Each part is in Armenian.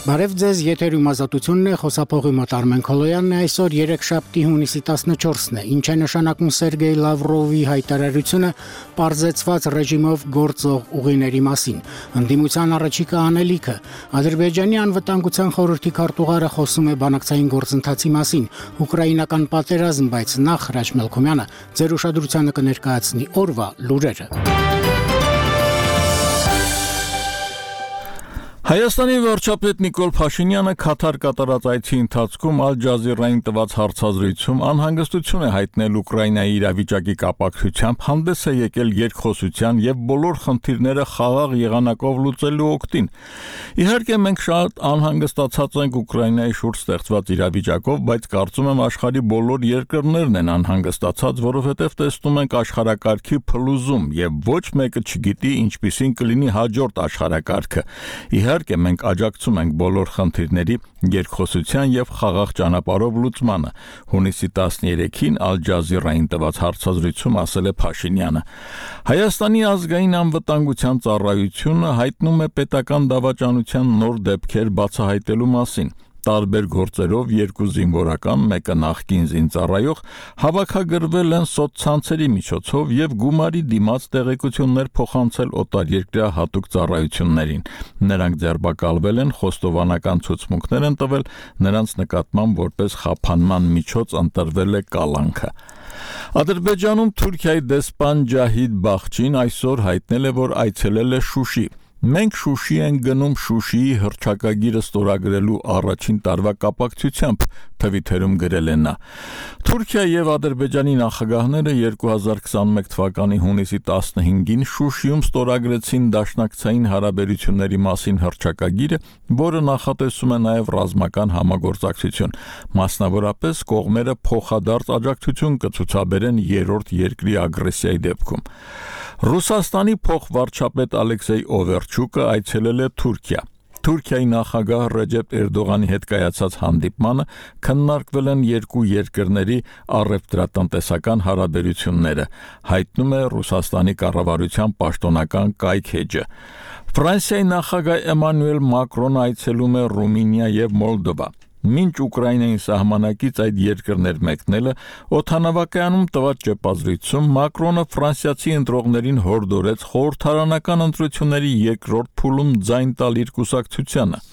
Բարև ձեզ, եթերում ազատությունն է, խոսափողի մոտ Արմեն Քոլոյանն է, այսօր երեքշաբթի հունիսի 14-ն է, ինչ է նշանակում Սերգեյ Լավրովի հայտարարությունը պարզեցված ռեժիմով գործող ուղիների մասին, ընդդիմության առաջիկա անելիքը, Ադրբեջանի անվտանգության խորհրդի քարտուղարը խոսում է բանակցային գործընթացի մասին, ուկրաինական պատերազմ, բայց նախ Հրաչ Մելքոմյանը ձեր ուշադրությանը կներկայացնի օրվա լուրերը։ Հայաստանի վարչապետ Նիկոլ Փաշինյանը Քաթար կատարած այցի ընթացքում Ալ Ջազիրային տված հարցազրույցում անհանգստություն է հայտնել Ուկրաինայի իրավիճակի կապակցությամբ, հանդես է եկել երկխոսության եւ բոլոր խնդիրները խաղաղ եղանակով լուծելու օգտին։ Իհարկե մենք շատ անհանգստացած ենք Ուկրաինայի շուրջ ստեղծված իրավիճակով, բայց կարծում եմ աշխարհի բոլոր երկրներն են անհանգստացած, որովհետեւ տեսնում ենք աշխարհակարգի փլուզում եւ ոչ մեկը չգիտի ինչպիսին կլինի հաջորդ աշխարհակարգը։ Իհարկե մենք աջակցում ենք բոլոր խնդիրների երկխոսության եւ խաղաղ ճանապարհով լուծմանը, հունիսի 13-ին Ալ Ջազիրային տված հարցազրույցում ասել է Փաշինյանը։ Հայաստանի ազգային անվտանգության ծառայությունը հայտնում է պետական դավաճանության նոր դեպքեր բացահայտելու մասին։ Տարբեր գործերով երկու զինվորական, մեկը նախկին զինծառայող, հավաքագրվել են սոցցանցերի միջոցով եւ գումարի դիմաց տեղեկություններ փոխանցել օտարերկրյա հատուկ ծառայություններին։ Նրանք ձերբակալվել են, խոստովանական ցուցմունքներ են տվել, նրանց նկատմամբ որպես խափանման միջոց ընտրվել է կալանքը։ Ադրբեջանում Թուրքիայի դեսպան Ջահիդ Բախչին այսօր հայտնել է, որ այցելել է Շուշի։ Մենք Շուշի ենք գնում Շուշիի հռչակագիրը ստորագրելու առաջին տարվա կապակցությամբ, թվիթերում գրել է նա։ Թուրքիա եւ Ադրբեջանի նախագահները 2021 թվականի հունիսի 15-ին Շուշիում ստորագրեցին դաշնակցային հարաբերությունների մասին հռչակագիրը, որը նախատեսում է նաեւ ռազմական համագործակցություն։ Մասնավորապես կողմերը փոխադարձ աջակցություն կցուցաբերեն երրորդ երկրի ագրեսիայի դեպքում։ Ռուսաստանի փոխվարչապետ Ալեքսեյ Օվերչուկը այցելել է Թուրքիա։ Թուրքիայի նախագահ Ռեջեփ Էրդողանի հետ կայացած հանդիպմանը քննարկվել են երկու երկրների առևտրատնտեսական հարաբերությունները, հայտնում է Ռուսաստանի կառավարության պաշտոնական կայք-էջը։ Ֆրանսիայի նախագահ Էմանուել Մակրոնը այցելում է Ռումինիա եւ Մոլդովա։ Մինչ Ուկրաինային սահմանակից այդ երկրներ մեկնելը օդանավակայանում տված ճեպազրույցում Մակրոնը ֆրանսիացի ընտրողներին հորդորեց խորհրդարանական ընտրությունների երկրորդ փուլում ձայն տալ իր կուսակցությանը։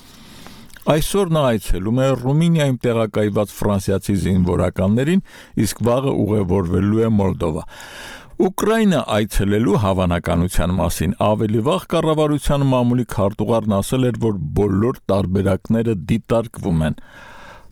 Այսօր նա այցելում է Ռումինիայում տեղակայված ֆրանսիացի զինվորականներին, իսկ վաղը ուղևորվելու է Մոլդովա։ Ուկրաինա այցելելու հավանականության մասին ավելի վաղ կառավարության մամուլի քարտուղարն ասել էր, որ բոլոր տարբերակները դիտարկվում են։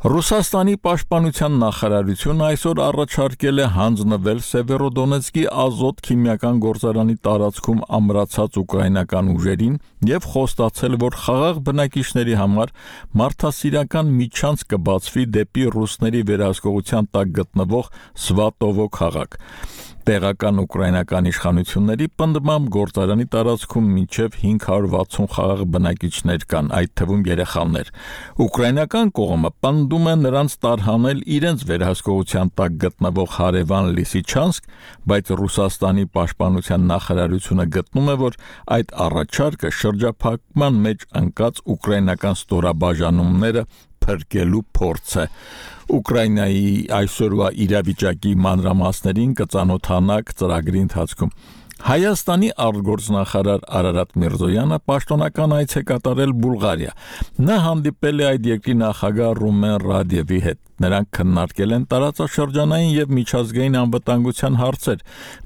Ռուսաստանի պաշտպանության նախարարությունը այսօր առաջարկել է հանձնվել Սևերոդոնեցկի ազոտ քիմիական գործարանի տարածքում ամրացած ուկրաինական ուժերին եւ խոստացել, որ խաղաղ բնակիչների համար մարդասիրական միջանց կբացվի դեպի ռուսների վերահսկողության տակ գտնվող Սվատովո քաղաք։ Տեղական ուկրաինական իշխանությունների պնդմամբ գործարանի տարածքում մինչև 560 խաղաղ բնակիչներ կան, այդ թվում երեխաներ։ Ուկրաինական կողմը պնդում է նրանց տարհանել իրենց վերահսկողության տակ գտնվող հարևան Լիսիչանսկ, բայց Ռուսաստանի պաշտպանության նախարարությունը գտնում է, որ այդ առաջարկը շրջափակման մեջ ընկած ուկրաինական ստորաբաժանումները փրկելու փորձ է։ Ուկրաինայի այսօրվա իրավիճակի մանրամասներին կծանոթանաք ծրագրի ընթացքում։ Հայաստանի արտգործնախարար Արարատ Միրզոյանը պաշտոնական այց է կատարել Բուլղարիա։ Նա հանդիպել է այդ երկրի նախագահ Ռումեն Ռադևի հետ։ Նրանք քննարկել են տարածաշրջանային եւ միջազգային անվտանգության հարցեր։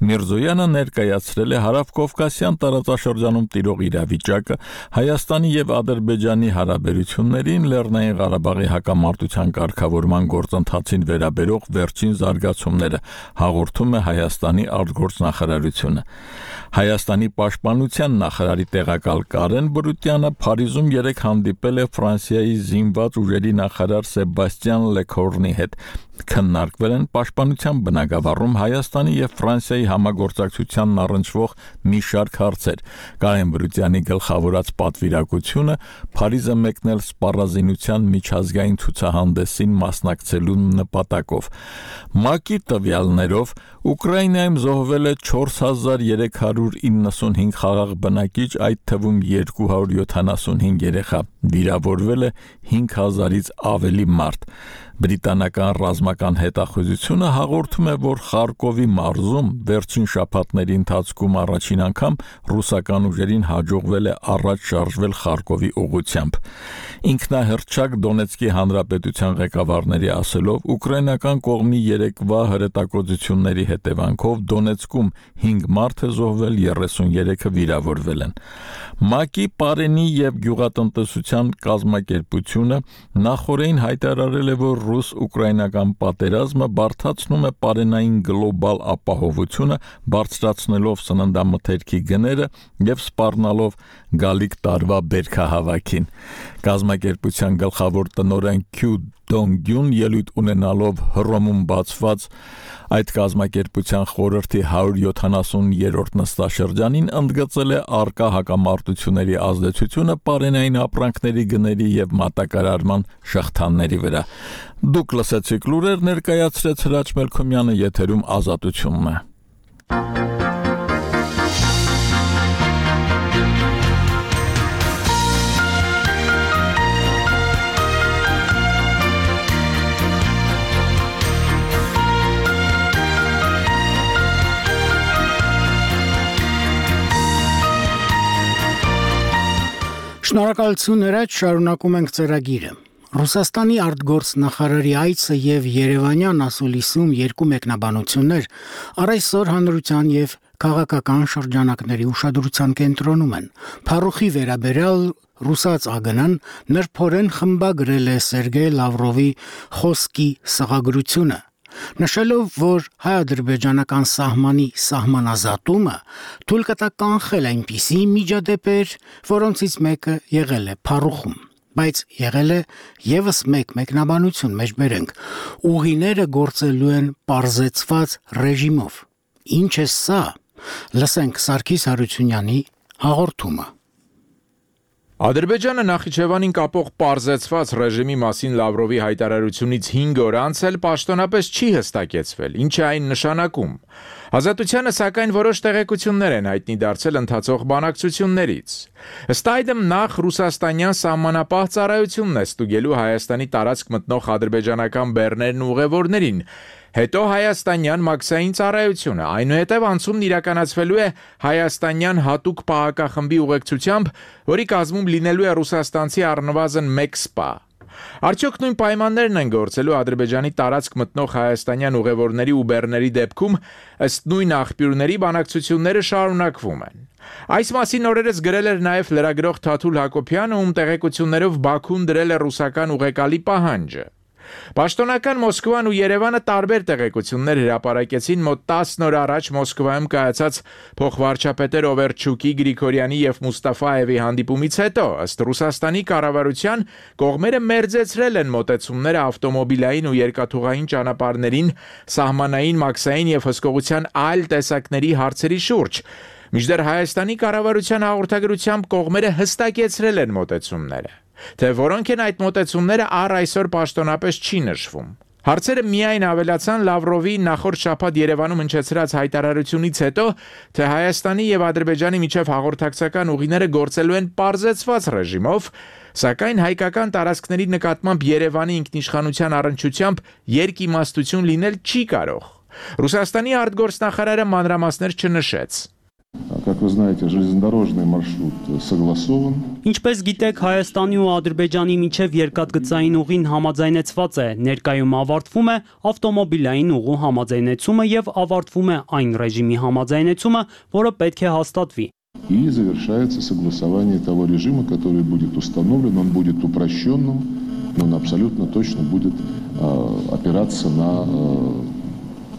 Միրզոյանը ներկայացրել է Հարավկովկասյան տարածաշրջանում տիրող իրավիճակը, Հայաստանի եւ Ադրբեջանի հարաբերություններին, Լեռնային Ղարաբաղի հակամարտության կարգավորման գործընթացին վերաբերող վերջին զարգացումները, հաղորդում է Հայաստանի արտգործնախարարությունը։ Հայաստանի պաշտպանության նախարարի տեղակալ Կարեն Բրուտյանը Փարիզում երեկ հանդիպել է Ֆրանսիայի զինված ուժերի նախարար Սեբաստիան Լեկորնուի գլխավորնի հետ քննարկվել են Պաշտպանության բնագավառում Հայաստանի եւ Ֆրանսիայի համագործակցությանն առնչվող մի շարք հարցեր։ Կարեն Բրուտյանի գլխավորած պատվիրակությունը Փարիզը մեկնել սպառազինության միջազգային ցուցահանդեսին մասնակցելու նպատակով։ ՄԱԿ-ի տվյալներով Ուկրաինայում զոհվել է 4395 խաղաղ բնակիչ, այդ թվում 275 երեխա, վիրավորվել է 5000-ից ավելի մարդ։ Բրիտանական ռազմական հետախուզությունը հաղորդում է, որ Խարկովի մարզում վերջին շաբաթների ընթացքում առաջին անգամ ռուսական ուժերին հաջողվել է առաջ շարժվել Խարկովի ուղղությամբ։ Ինքնահռչակ Դոնեցկի հանրապետության ղեկավարների ասելով, ուկրաինական կողմի երեկվա հրետակոծությունների հետևանքով Դոնեցկում 5 մարդ է զոհվել, 33-ը վիրավորվել են։ ՄԱԿ-ի Պարենի եւ գյուղատնտեսության կազմակերպությունը նախորդին հայտարարել է, որ ռուս-ուկրաինական պատերազմը բարդացնում է պարենային գլոբալ ապահովությունը, բարձրացնելով սննդամթերքի գները եւ սպառնալով գալիք տարվա բերքահավաքին։ Կազմակերպության գլխավոր տնօրեն Քյու Դոնգյուն ելույթ ունենալով Հռոմում բացված այդ կազմակերպության խորհրդի 170-րդ նստաշրջանին ընդգծել է առկա հակամարտությունների ազդեցությունը պարենային ապրանքների գների եւ մատակարարման շղթաների վրա։ Դուք լսեցիք լուրեր, ներկայացրեց Հրաչ Մելքոմյանը, եթերում Ազատությունն է։ Շնորհակալություն Հրաչ, շարունակում ենք ծրագիրը։ Ռուսաստանի արտգործնախարարի այցը եւ Երևանյան ասուլիսում երկու մեկնաբանություններ առայսօր հանրության եւ քաղաքական շրջանակների ուշադրության կենտրոնում են։ Փառուխի վերաբերյալ ռուսաց ԱԳՆ-ն նրբորեն խմբագրել է Սերգեյ Լավրովի խոսքի սղագրությունը, նշելով, որ հայ-ադրբեջանական սահմանի սահմանազատումը թույլ կտա կանխել այնպիսի միջադեպեր, որոնցից մեկը եղել է փառուխում, բայց եղել է եւս մեկ մեկնաբանություն, մեջբերենք, ուղիները գործելու են պարզեցված ռեժիմով։ Ինչ է սա։ Լսենք Սարգիս Հարությունյանի հաղորդումը։ Ադրբեջանը Նախիջևանին կապող պարզեցված ռեժիմի մասին Լավրովի հայտարարությունից 5 օր անց էլ պաշտոնապես չի հստակեցվել, ինչ է այն նշանակում։ Ազատությանը սակայն որոշ տեղեկություններ են հայտնի դարձել ընթացող բանակցություններից։ Ըստ այդմ նախ ռուսաստանյան սահմանապահ ծառայությունն է ստուգելու Հայաստանի տարածք մտնող ադրբեջանական բեռներն ու ուղևորներին, հետո հայաստանյան մաքսային ծառայությունը, այնուհետև անցումն իրականացվելու է հայաստանյան հատուկ պահակախմբի ուղեկցությամբ, որի կազմում լինելու է ռուսաստանցի առնվազն 1 սպա։ Արդյոք նույն պայմաններն են գործելու Ադրբեջանի տարածք մտնող հայաստանյան ուղևորների ու բեռների դեպքում, ըստ նույն աղբյուրների բանակցությունները շարունակվում են։ Այս մասին օրերս գրել էր նաև լրագրող Թաթուլ Հակոբյանը, ում տեղեկություններով Բաքուն դրել է ռուսական ուղեկալի պահանջը։ Պաշտոնական Մոսկվան ու Երևանը տարբեր տեղեկություններ հրապարակեցին մոտ 10 օր առաջ Մոսկվայում կայացած փոխվարչապետեր Օվերչուկի, Գրիգորյանի եւ Մուստաֆաևի հանդիպումից հետո, ըստ Ռուսաստանի կառավարության, կողմերը մերձեցրել են մոտեցումները ավտոմոբիլային ու երկաթուղային ճանապարհներին, սահմանային, մաքսային եւ հսկողության այլ տեսակների հարցերի շուրջ։ Մինչդեռ Հայաստանի կառավարության հաղորդագրությամբ կողմերը հստակեցրել են մոտեցումները։ Թե որոնք են այդ մոտեցումները առ այսօր պաշտոնապես չի նշվում։ Հարցերը միայն ավելացան Լավրովի նախորդ շաբաթ Երևանում հնչեցրած հայտարարությունից հետո, թե Հայաստանի եւ Ադրբեջանի միջև հաղորդակցական ուղիները գործելու են պարզեցված ռեժիմով, սակայն հայկական տարածքների նկատմամբ Երևանի ինքնիշխանության առնչությամբ երկիմաստություն լինել չի կարող։ Ռուսաստանի արտգործնախարարը մանրամասներ չնշեց։ Как вы знаете, железнодорожный маршрут согласован. Ինչպես գիտեք, Հայաստանի ու Ադրբեջանի միջև երկաթգծային ուղին համաձայնեցված է, ներկայում ավարտվում է ավտոմոբիլային ուղու համաձայնեցումը եւ ավարտվում է այն ռեժիմի համաձայնեցումը, որը պետք է հաստատվի։ И завершается согласование того режима, который будет установлен, он будет упрощенным, но он абсолютно точно будет опираться на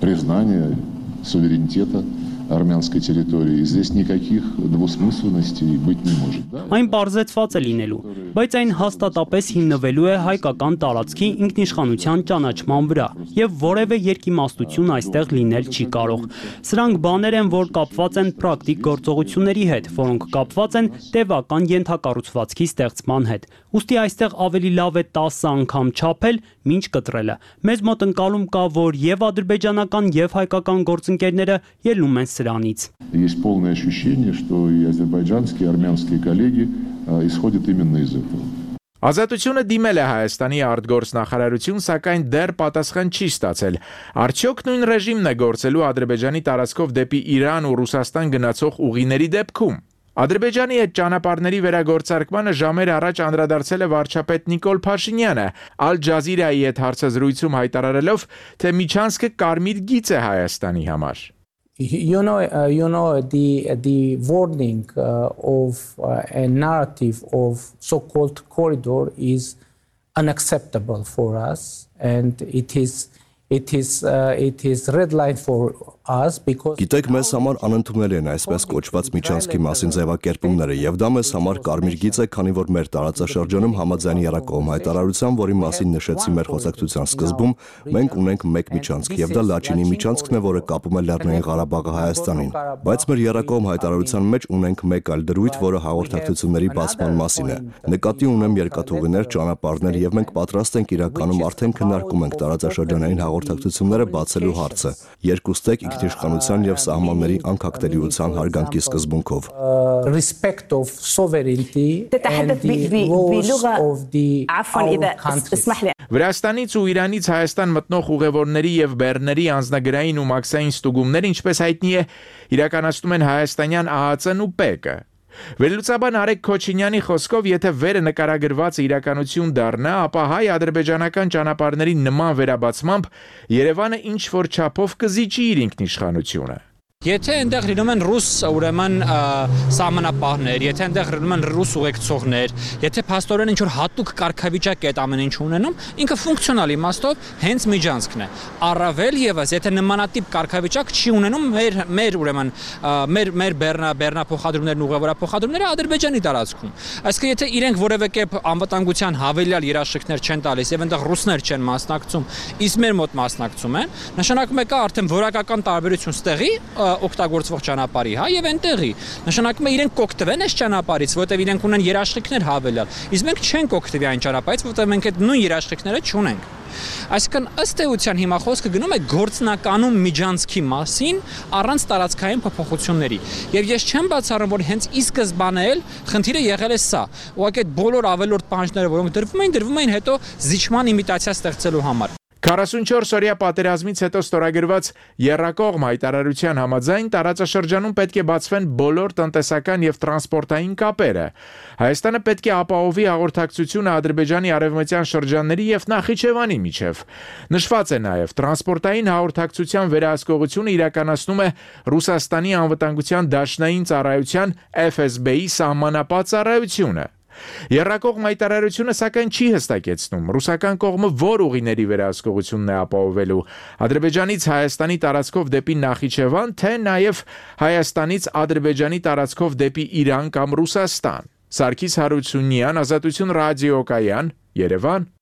признание суверенитета армянской территории. Здесь никаких двусмысленностей быть не может. Այն պարզեցված է լինելու։ բայց այն հաստատապես հիմնվելու է հայկական տարածքի ինքնիշխանության ճանաչման վրա, եւ որևէ երկիմաստություն այստեղ լինել չի կարող։ Սրանք բաներ են, որ կապված են պրակտիկ գործողությունների հետ, որոնք կապված են տևական ենթակառուցվածքի ստեղծման հետ։ Ուստի այստեղ ավելի լավ է 10 անգամ չափել, մինչ կտրելը։ Մեզ մոտ ընկալում կա, որ եւ ադրբեջանական եւ հայկական գործընկերները ելնում են սրանից։ Есть полное ощущение, что и азербайджанские, и армянские коллеги исходят именно из этого. Ազատությունը դիմել է Հայաստանի արտգործնախարարություն, սակայն դեռ պատասխան չի ստացել։ Արդյոք նույն ռեժիմն է գործելու Ադրբեջանի տարածքով դեպի Իրան ու Ռուսաստան գնացող ուղիների դեպքում։ Ադրբեջանի այդ ճանապարհների վերագործարկմանը ժամեր առաջ անդրադարձել է վարչապետ Նիկոլ Փաշինյանը, Al Jazeera-ի հետ հարցազրույցում հայտարարելով, թե Միչանսկը կարմիր գիծ է Հայաստանի համար։ You know the wording of a narrative of so-called corridor is unacceptable for us, and it is red line for us because Գիտեք, մեզ համար անընդունելի են այսպես կոչված Միչանսկի մասին ձևակերպումները, եւ դա մեզ համար կարմիր գիծ է, քանի որ մեր տարածաշրջանում համաձայն Երակոմ հայտարարության, որի մասին նշեցի մեր խոսակցության սկզբում, մենք ունենք մեկ Միչանսկ, եւ դա Լաչինի Միչանսկն է, որը կապում է Լեռնային Ղարաբաղը Հայաստանին։ Բայց մեր Երակոմ հայտարարության մեջ ունենք մեկ այլ դրույթ, որը հաղորդակցությունների բացման մասին է։ Նկատի ունեմ երկաթուղիներ, ճանապարհներ, եւ մենք պատրաստ ենք իրականում արդեն քննարկում ենք տարածաշրջանային հաղորդակցությունները բացելու հարցը։ Երկուստեք ինքնիշխանության եւ սահմանների անկախտելիության հարգանքի սկզբունքով։ Respect of sovereignty and the laws of the country. Վրաստանից ու Իրանից Հայաստան մտնող ուղևորների եւ բեռների անձնագրային ու մաքսային ստուգումներ, ինչպես հայտնի է, իրականացնում են հայաստանյան ԱԱԾ-ն ու ՊԵԿ-ը։ Վերլուծաբան Արեգ Քոչինյանի խոսքով, եթե վերը նկարագրված իրականություն դառնա, ապա հայ-ադրբեջանական ճանապարհների նման վերաբացմամբ Երևանը ինչ որ չափով կզիջի իր ինքնիշխանությունը։ Եթե այնտեղ լինում են ռուս ուրեմն սահմանապահներ, եթե այնտեղ լինում են ռուս ուղեկցողներ, եթե փաստորեն ինչ որ հատուկ կարգավիճակ է այդ ամեն ինչ ունենում, ինքը ֆունկցիոնալ իմաստով հենց Միջանցքն է։ Առավել եւս, եթե նմանատիպ կարգավիճակ չի ունենում մեր ուրեմն մեր բեռնափոխադրումներն ուղևորափոխադրումները Ադրբեջանի տարածքում։ Այսինքն եթե իրենք որևէ կերպ անվտանգության հավելյալ երաշխիքներ չեն տալիս եւ այնտեղ ռուսներ չեն մասնակցում, իսկ մեր մոտ մասնակցում են, նշանակում է կա արդեն որակական տարբերություն ստեղի օգտագործվող ճանապարհի, հա, եւ այնտեղի։ Նշանակում է իրենք կօգտվեն այս ճանապարհից, որտեղ իրենք ունեն երաշխիքներ հավելյալ։ Իսկ մենք չենք օգտվի այն ճանապարհից, որտեղ մենք այդ նույն երաշխիքները չունենք։ Այսինքն ըստ էության հիմա խոսքը գնում է գործնականում Միջանցքի մասին առանց տարածքային փոփոխությունների։ Եվ ես չեմ բացառում, որ հենց ի սկզբանե էլ խնդիրը եղել է սա։ Ուղղակի այդ բոլոր ավելորդ պահանջները, որոնք դրվում էին հետո զիջման իմիտացիա ստեղծելու համար։ 44-օրյա պատերազմից հետո ստորագրված Եռակողմ հայտարարության համաձայն տարածաշրջանում պետք է բացվեն բոլոր տնտեսական եւ տրանսպորտային կապերը։ Հայաստանը պետք է ապահովի հաղորդակցությունը Ադրբեջանի արևմտյան շրջանների եւ Նախիջևանի միջև։ Նշված է նաեւ տրանսպորտային հաղորդակցության վերահսկողությունը իրականացնում է Ռուսաստանի անվտանգության դաշնային ծառայության FSB-ի սահմանապատ ծառայությունը։ Եռակողմ հայտարարությունը սակայն չի հստակեցնում ռուսական կողմը որ ուղիների վերահսկողությունն է ապահովելու Ադրբեջանից Հայաստանի տարածքով դեպի Նախիջևան, թե նաև Հայաստանից Ադրբեջանի տարածքով դեպի Իրան կամ Ռուսաստան։ Սարգիս Հարությունյան, Ազատություն ռադիոկայան, Երևան։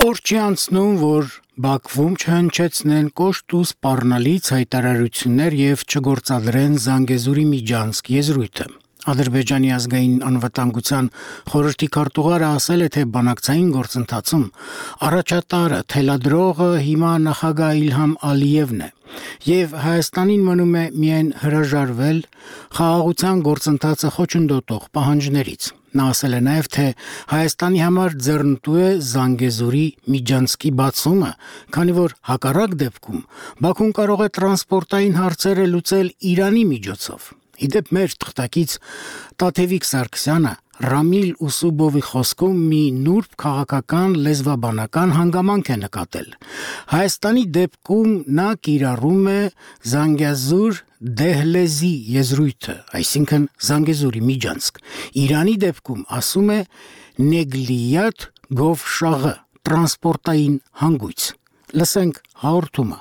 Օր չի անցնում, որ Բաքվում չհնչեցնեն կոշտ ու սպառնալից հայտարարություններ եւ չգործադրեն Զանգեզուրի Միջանցք եզրույթը։ Ադրբեջանի ազգային անվտանգության խորհրդի քարտուղարը ասել է, թե բանակցային գործընթացում առաջատարը թելադրողը հիմա նախագահ Իլհամ Ալիևն է եւ Հայաստանին մնում է միայն հրաժարվել խաղաղության գործընթացը խոչընդոտող պահանջներից։ Նա ասել է նաև, թե Հայաստանի համար ձեռնտու է Զանգեզուրի Միջանցքի բացումը, քանի որ հակառակ դեպքում Բաքուն կարող է տրանսպորտային հարցերը լուծել Իրանի միջոցով։ Իդեպ մեր թղթակից Տաթևիկ Սարգսյանը Ռամիլ Ուսուբովի խոսքում մի նուրբ քաղաքական լեզվաբանական հանգամանք է նկատել։ Հայաստանի դեպքում նա կիրառում է Զանգեզուր դեհլեզի եզրույթը, այսինքն Զանգեզուրի Միջանցք։ Իրանի դեպքում ասում է Նեգլիյատ Գովշաղը, տրանսպորտային հանգույց։ Լսենք հաղորդումը։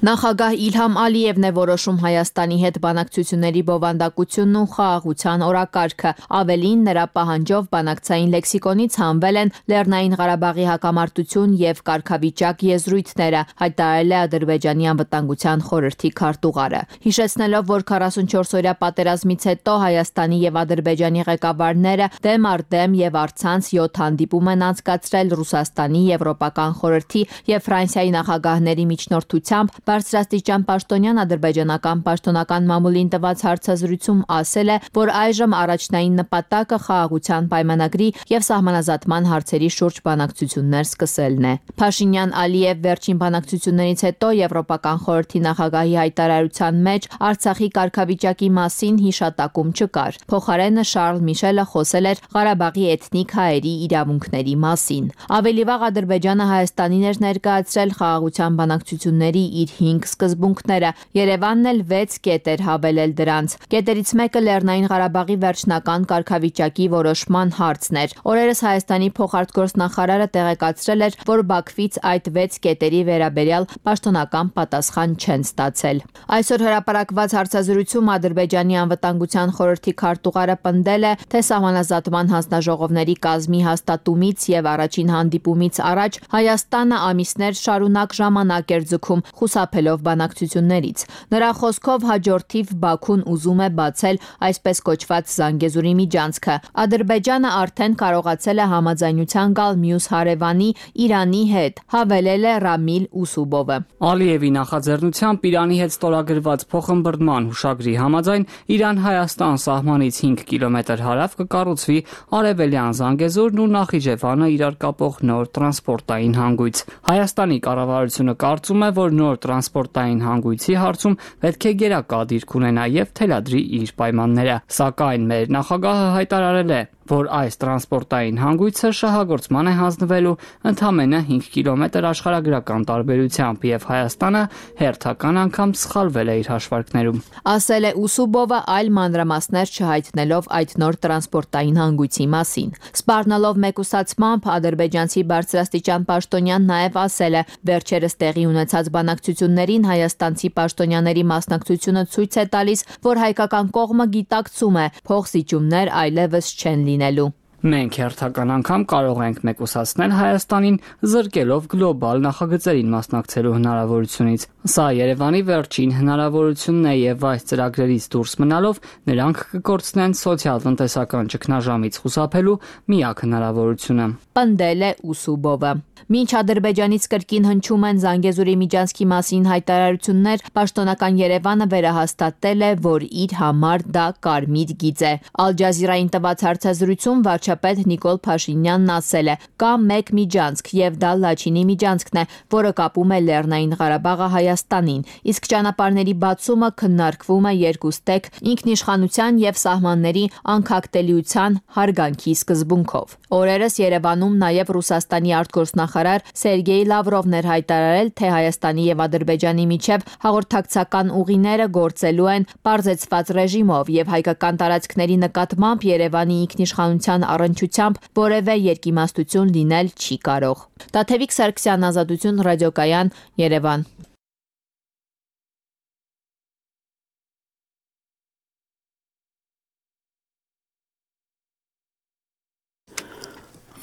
Նախագահ Իլհամ Ալիևն է որոշում Հայաստանի հետ բանակցությունների բովանդակությունն ու խաղաղության օրակարգը։ Ավելին, նրա պահանջով բանակցային լեքսիկոնից հանվել են Լեռնային Ղարաբաղի հակամարտություն եւ կարգավիճակ եզրույթները, հայտարարել է Ադրբեջանի անվտանգության խորհրդի քարտուղարը։ Հիշեցնելով, որ 44-օրյա պատերազմից հետո Հայաստանի եւ Ադրբեջանի ղեկավարները դեմ առ դեմ եւ առցանց 7 հանդիպում են անցկացրել Ռուսաստանի, Եվրոպական խորհրդի եւ Ֆրանսիայի նախագահների միջնորդությամբ, բարձրաստիճան պաշտոնյան ադրբեջանական պաշտոնական մամուլին տված հարցազրույցում ասել է, որ այժմ առաջնային նպատակը խաղաղության պայմանագրի եւ սահմանազատման հարցերի շուրջ բանակցություններ սկսելն է։ Փաշինյան-Ալիև վերջին բանակցություններից հետո Եվրոպական խորհրդի նախագահի հայտարարության մեջ Արցախի կարգավիճակի մասին հիշատակում չկար։ Փոխարենը Շարլ Միշելը խոսել էր Ղարաբաղի էթնիկ հայերի իրավունքների մասին։ Ավելի վաղ Ադրբեջանը Հայաստանին էր ներկայացրել խաղաղության բանակցությունների իր 5 սկզբունքները։ Երևանն էլ 6 կետ էր հավելել դրանց։ Կետերից մեկը Լեռնային Ղարաբաղի վերջնական կարգավիճակի որոշման հարցն էր։ Օրերս Հայաստանի փոխարտգործնախարարը տեղեկացրել էր, որ Բաքվից այդ 6 կետերի վերաբերյալ պաշտոնական պատասխան չեն ստացել։ Այսօր հրապարակված հարցազրույցում Ադրբեջանի անվտանգության խորհրդի քարտուղարը պնդել է, թե սահմանազատման հանձնաժողովների կազմի հաստատումից եւ առաջին հանդիպումից առաջ Հայաստանը ամիսներ շարունակ ժամանակ էր ձգում խուսափելով բանակցություններից։ Նրա խոսքով հաջորդիվ Բաքուն ուզում է բացել այսպես կոչված Զանգեզուրի միջանցքը։ Ադրբեջանը արդեն կարողացել է համաձայնության գալ մյուս հարևանի Իրանի հետ, հավելել է Ռամիլ Ուսուբովը։ Ալիևի նախաձեռնությամբ Իրանի հետ ստորագրված փոխըմբռնման հուշագրի համաձայն Իրան-Հայաստան սահմանից 5 կիլոմետր հարավ կկառուցվի արևելյան Զանգեզուրն ու Նախիջևանը իրար կապող նոր տրանսպորտային հանգույց։ Հայաստանի կառավարությունը կարծում է, որ նոր տրանսպորտային հանգույցի հարցում պետք է գերակա դիրք ունենա եւ թելադրի իր պայմանները։ Սակայն մեր նախագահը հայտարարել է, որ այս տրանսպորտային հանգույցը շահագործման է հանձնվելու ընդամենը 5 կիլոմետր աշխարհագրական տարբերությամբ եւ Հայաստանը հերթական անգամ սխալվել է իր հաշվարկներում։ Ասել է Ուսուբովը, այլ մանրամասներ չհայտնելով այդ նոր տրանսպորտային հանգույցի մասին։ Սպառնալով մեկուսացմամբ ադրբեջանցի բարձրաստիճան պաշտոնյան նաեւ ասել է, վերջերս տեղի ունեցած բանակցություններին հայաստանցի պաշտոնյաների մասնակցությունը ցույց է տալիս, որ հայկական կողմը գիտակցում է փոխզիջումներ այլևս չեն լինելու։ Մենք հերթական անգամ կարող ենք մեկուսացնել Հայաստանին զրկելով գլոբալ նախագծերին մասնակցելու հնարավորությունից։ Սա Երևանի վերջին հնարավորությունն է եւ այս ծրագրերից դուրս մնալով նրանք կկորցնեն սոցիալ-տնտեսական ճգնաժամից խուսափելու միակ հնարավորությունը։ Պնդել է Ուսուբովը։ Մինչ Ադրբեջանից կրկին հնչում են Զանգեզուրի միջանցքի մասին հայտարարություններ, պաշտոնական Երևանը վերահաստատել է, որ իր համար դա կարմիր գիծ է։ Ալ Ջազիրային տված հարցազրույցում վարչապետ Նիկոլ Փաշինյանն ասել է. «Կա մեկ միջանցք եւ դա Լաչինի միջանցքն է, որը կապում է Լեռնային Ղարաբաղը Հայաստանին, իսկ ճանապարհների բացումը քննարկվում է երկուստեք ինքնիշխանության եւ սահմանների անկախտելիության հարգանքի սկզբունքով»։ Օրերս Երևանում նաեւ Ռուսաստանի արտգործնախարար Սերգեյ Լավրովն էր հայտարարել, թե Հայաստանի եւ Ադրբեջանի միջև հաղորդակցական ուղիները գործելու են պարզեցված ռեժիմով եւ հայկական տարածքների նկատմամբ Երևանի ինքնիշխանության առնչությամբ որևէ երկիմաստություն լինել չի կարող։ Տաթևիկ Սարգսյան, Ազատություն, ռադիոկայան, Երևան։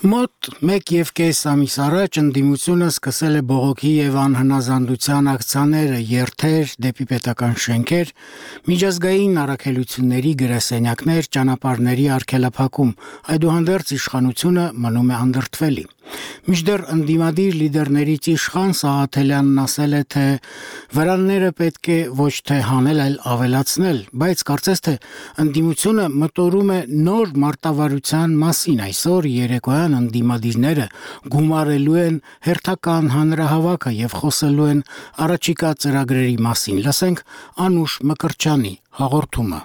Մոտ 1.5 ամիս առաջ ընդդիմությունը սկսել է բողոքի եւ անհնազանդության ակցիաները, երթեր դեպի պետական շենքեր, միջազգային առաքելությունների գրասենյակներ, ճանապարհների արգելափակում, այդուհանդերձ իշխանությունը մնում է անդրդվելի։ Մինչդեռ ընդդիմադիր լիդերներից իշխան Սաղաթելյանն ասել է, թե վրանները պետք է ոչ թե հանել, այլ ավելացնել, բայց կարծես թե ընդդիմությունը մտորում է նոր մարտավարության մասին այսօր երեկոյան ընդդիմադիրները գումարելու են հերթական հանրահավաքը եւ խոսելու են առաջիկա ծրագրերի մասին։ Լսենք Անուշ Մկրտչյանի հաղորդումը։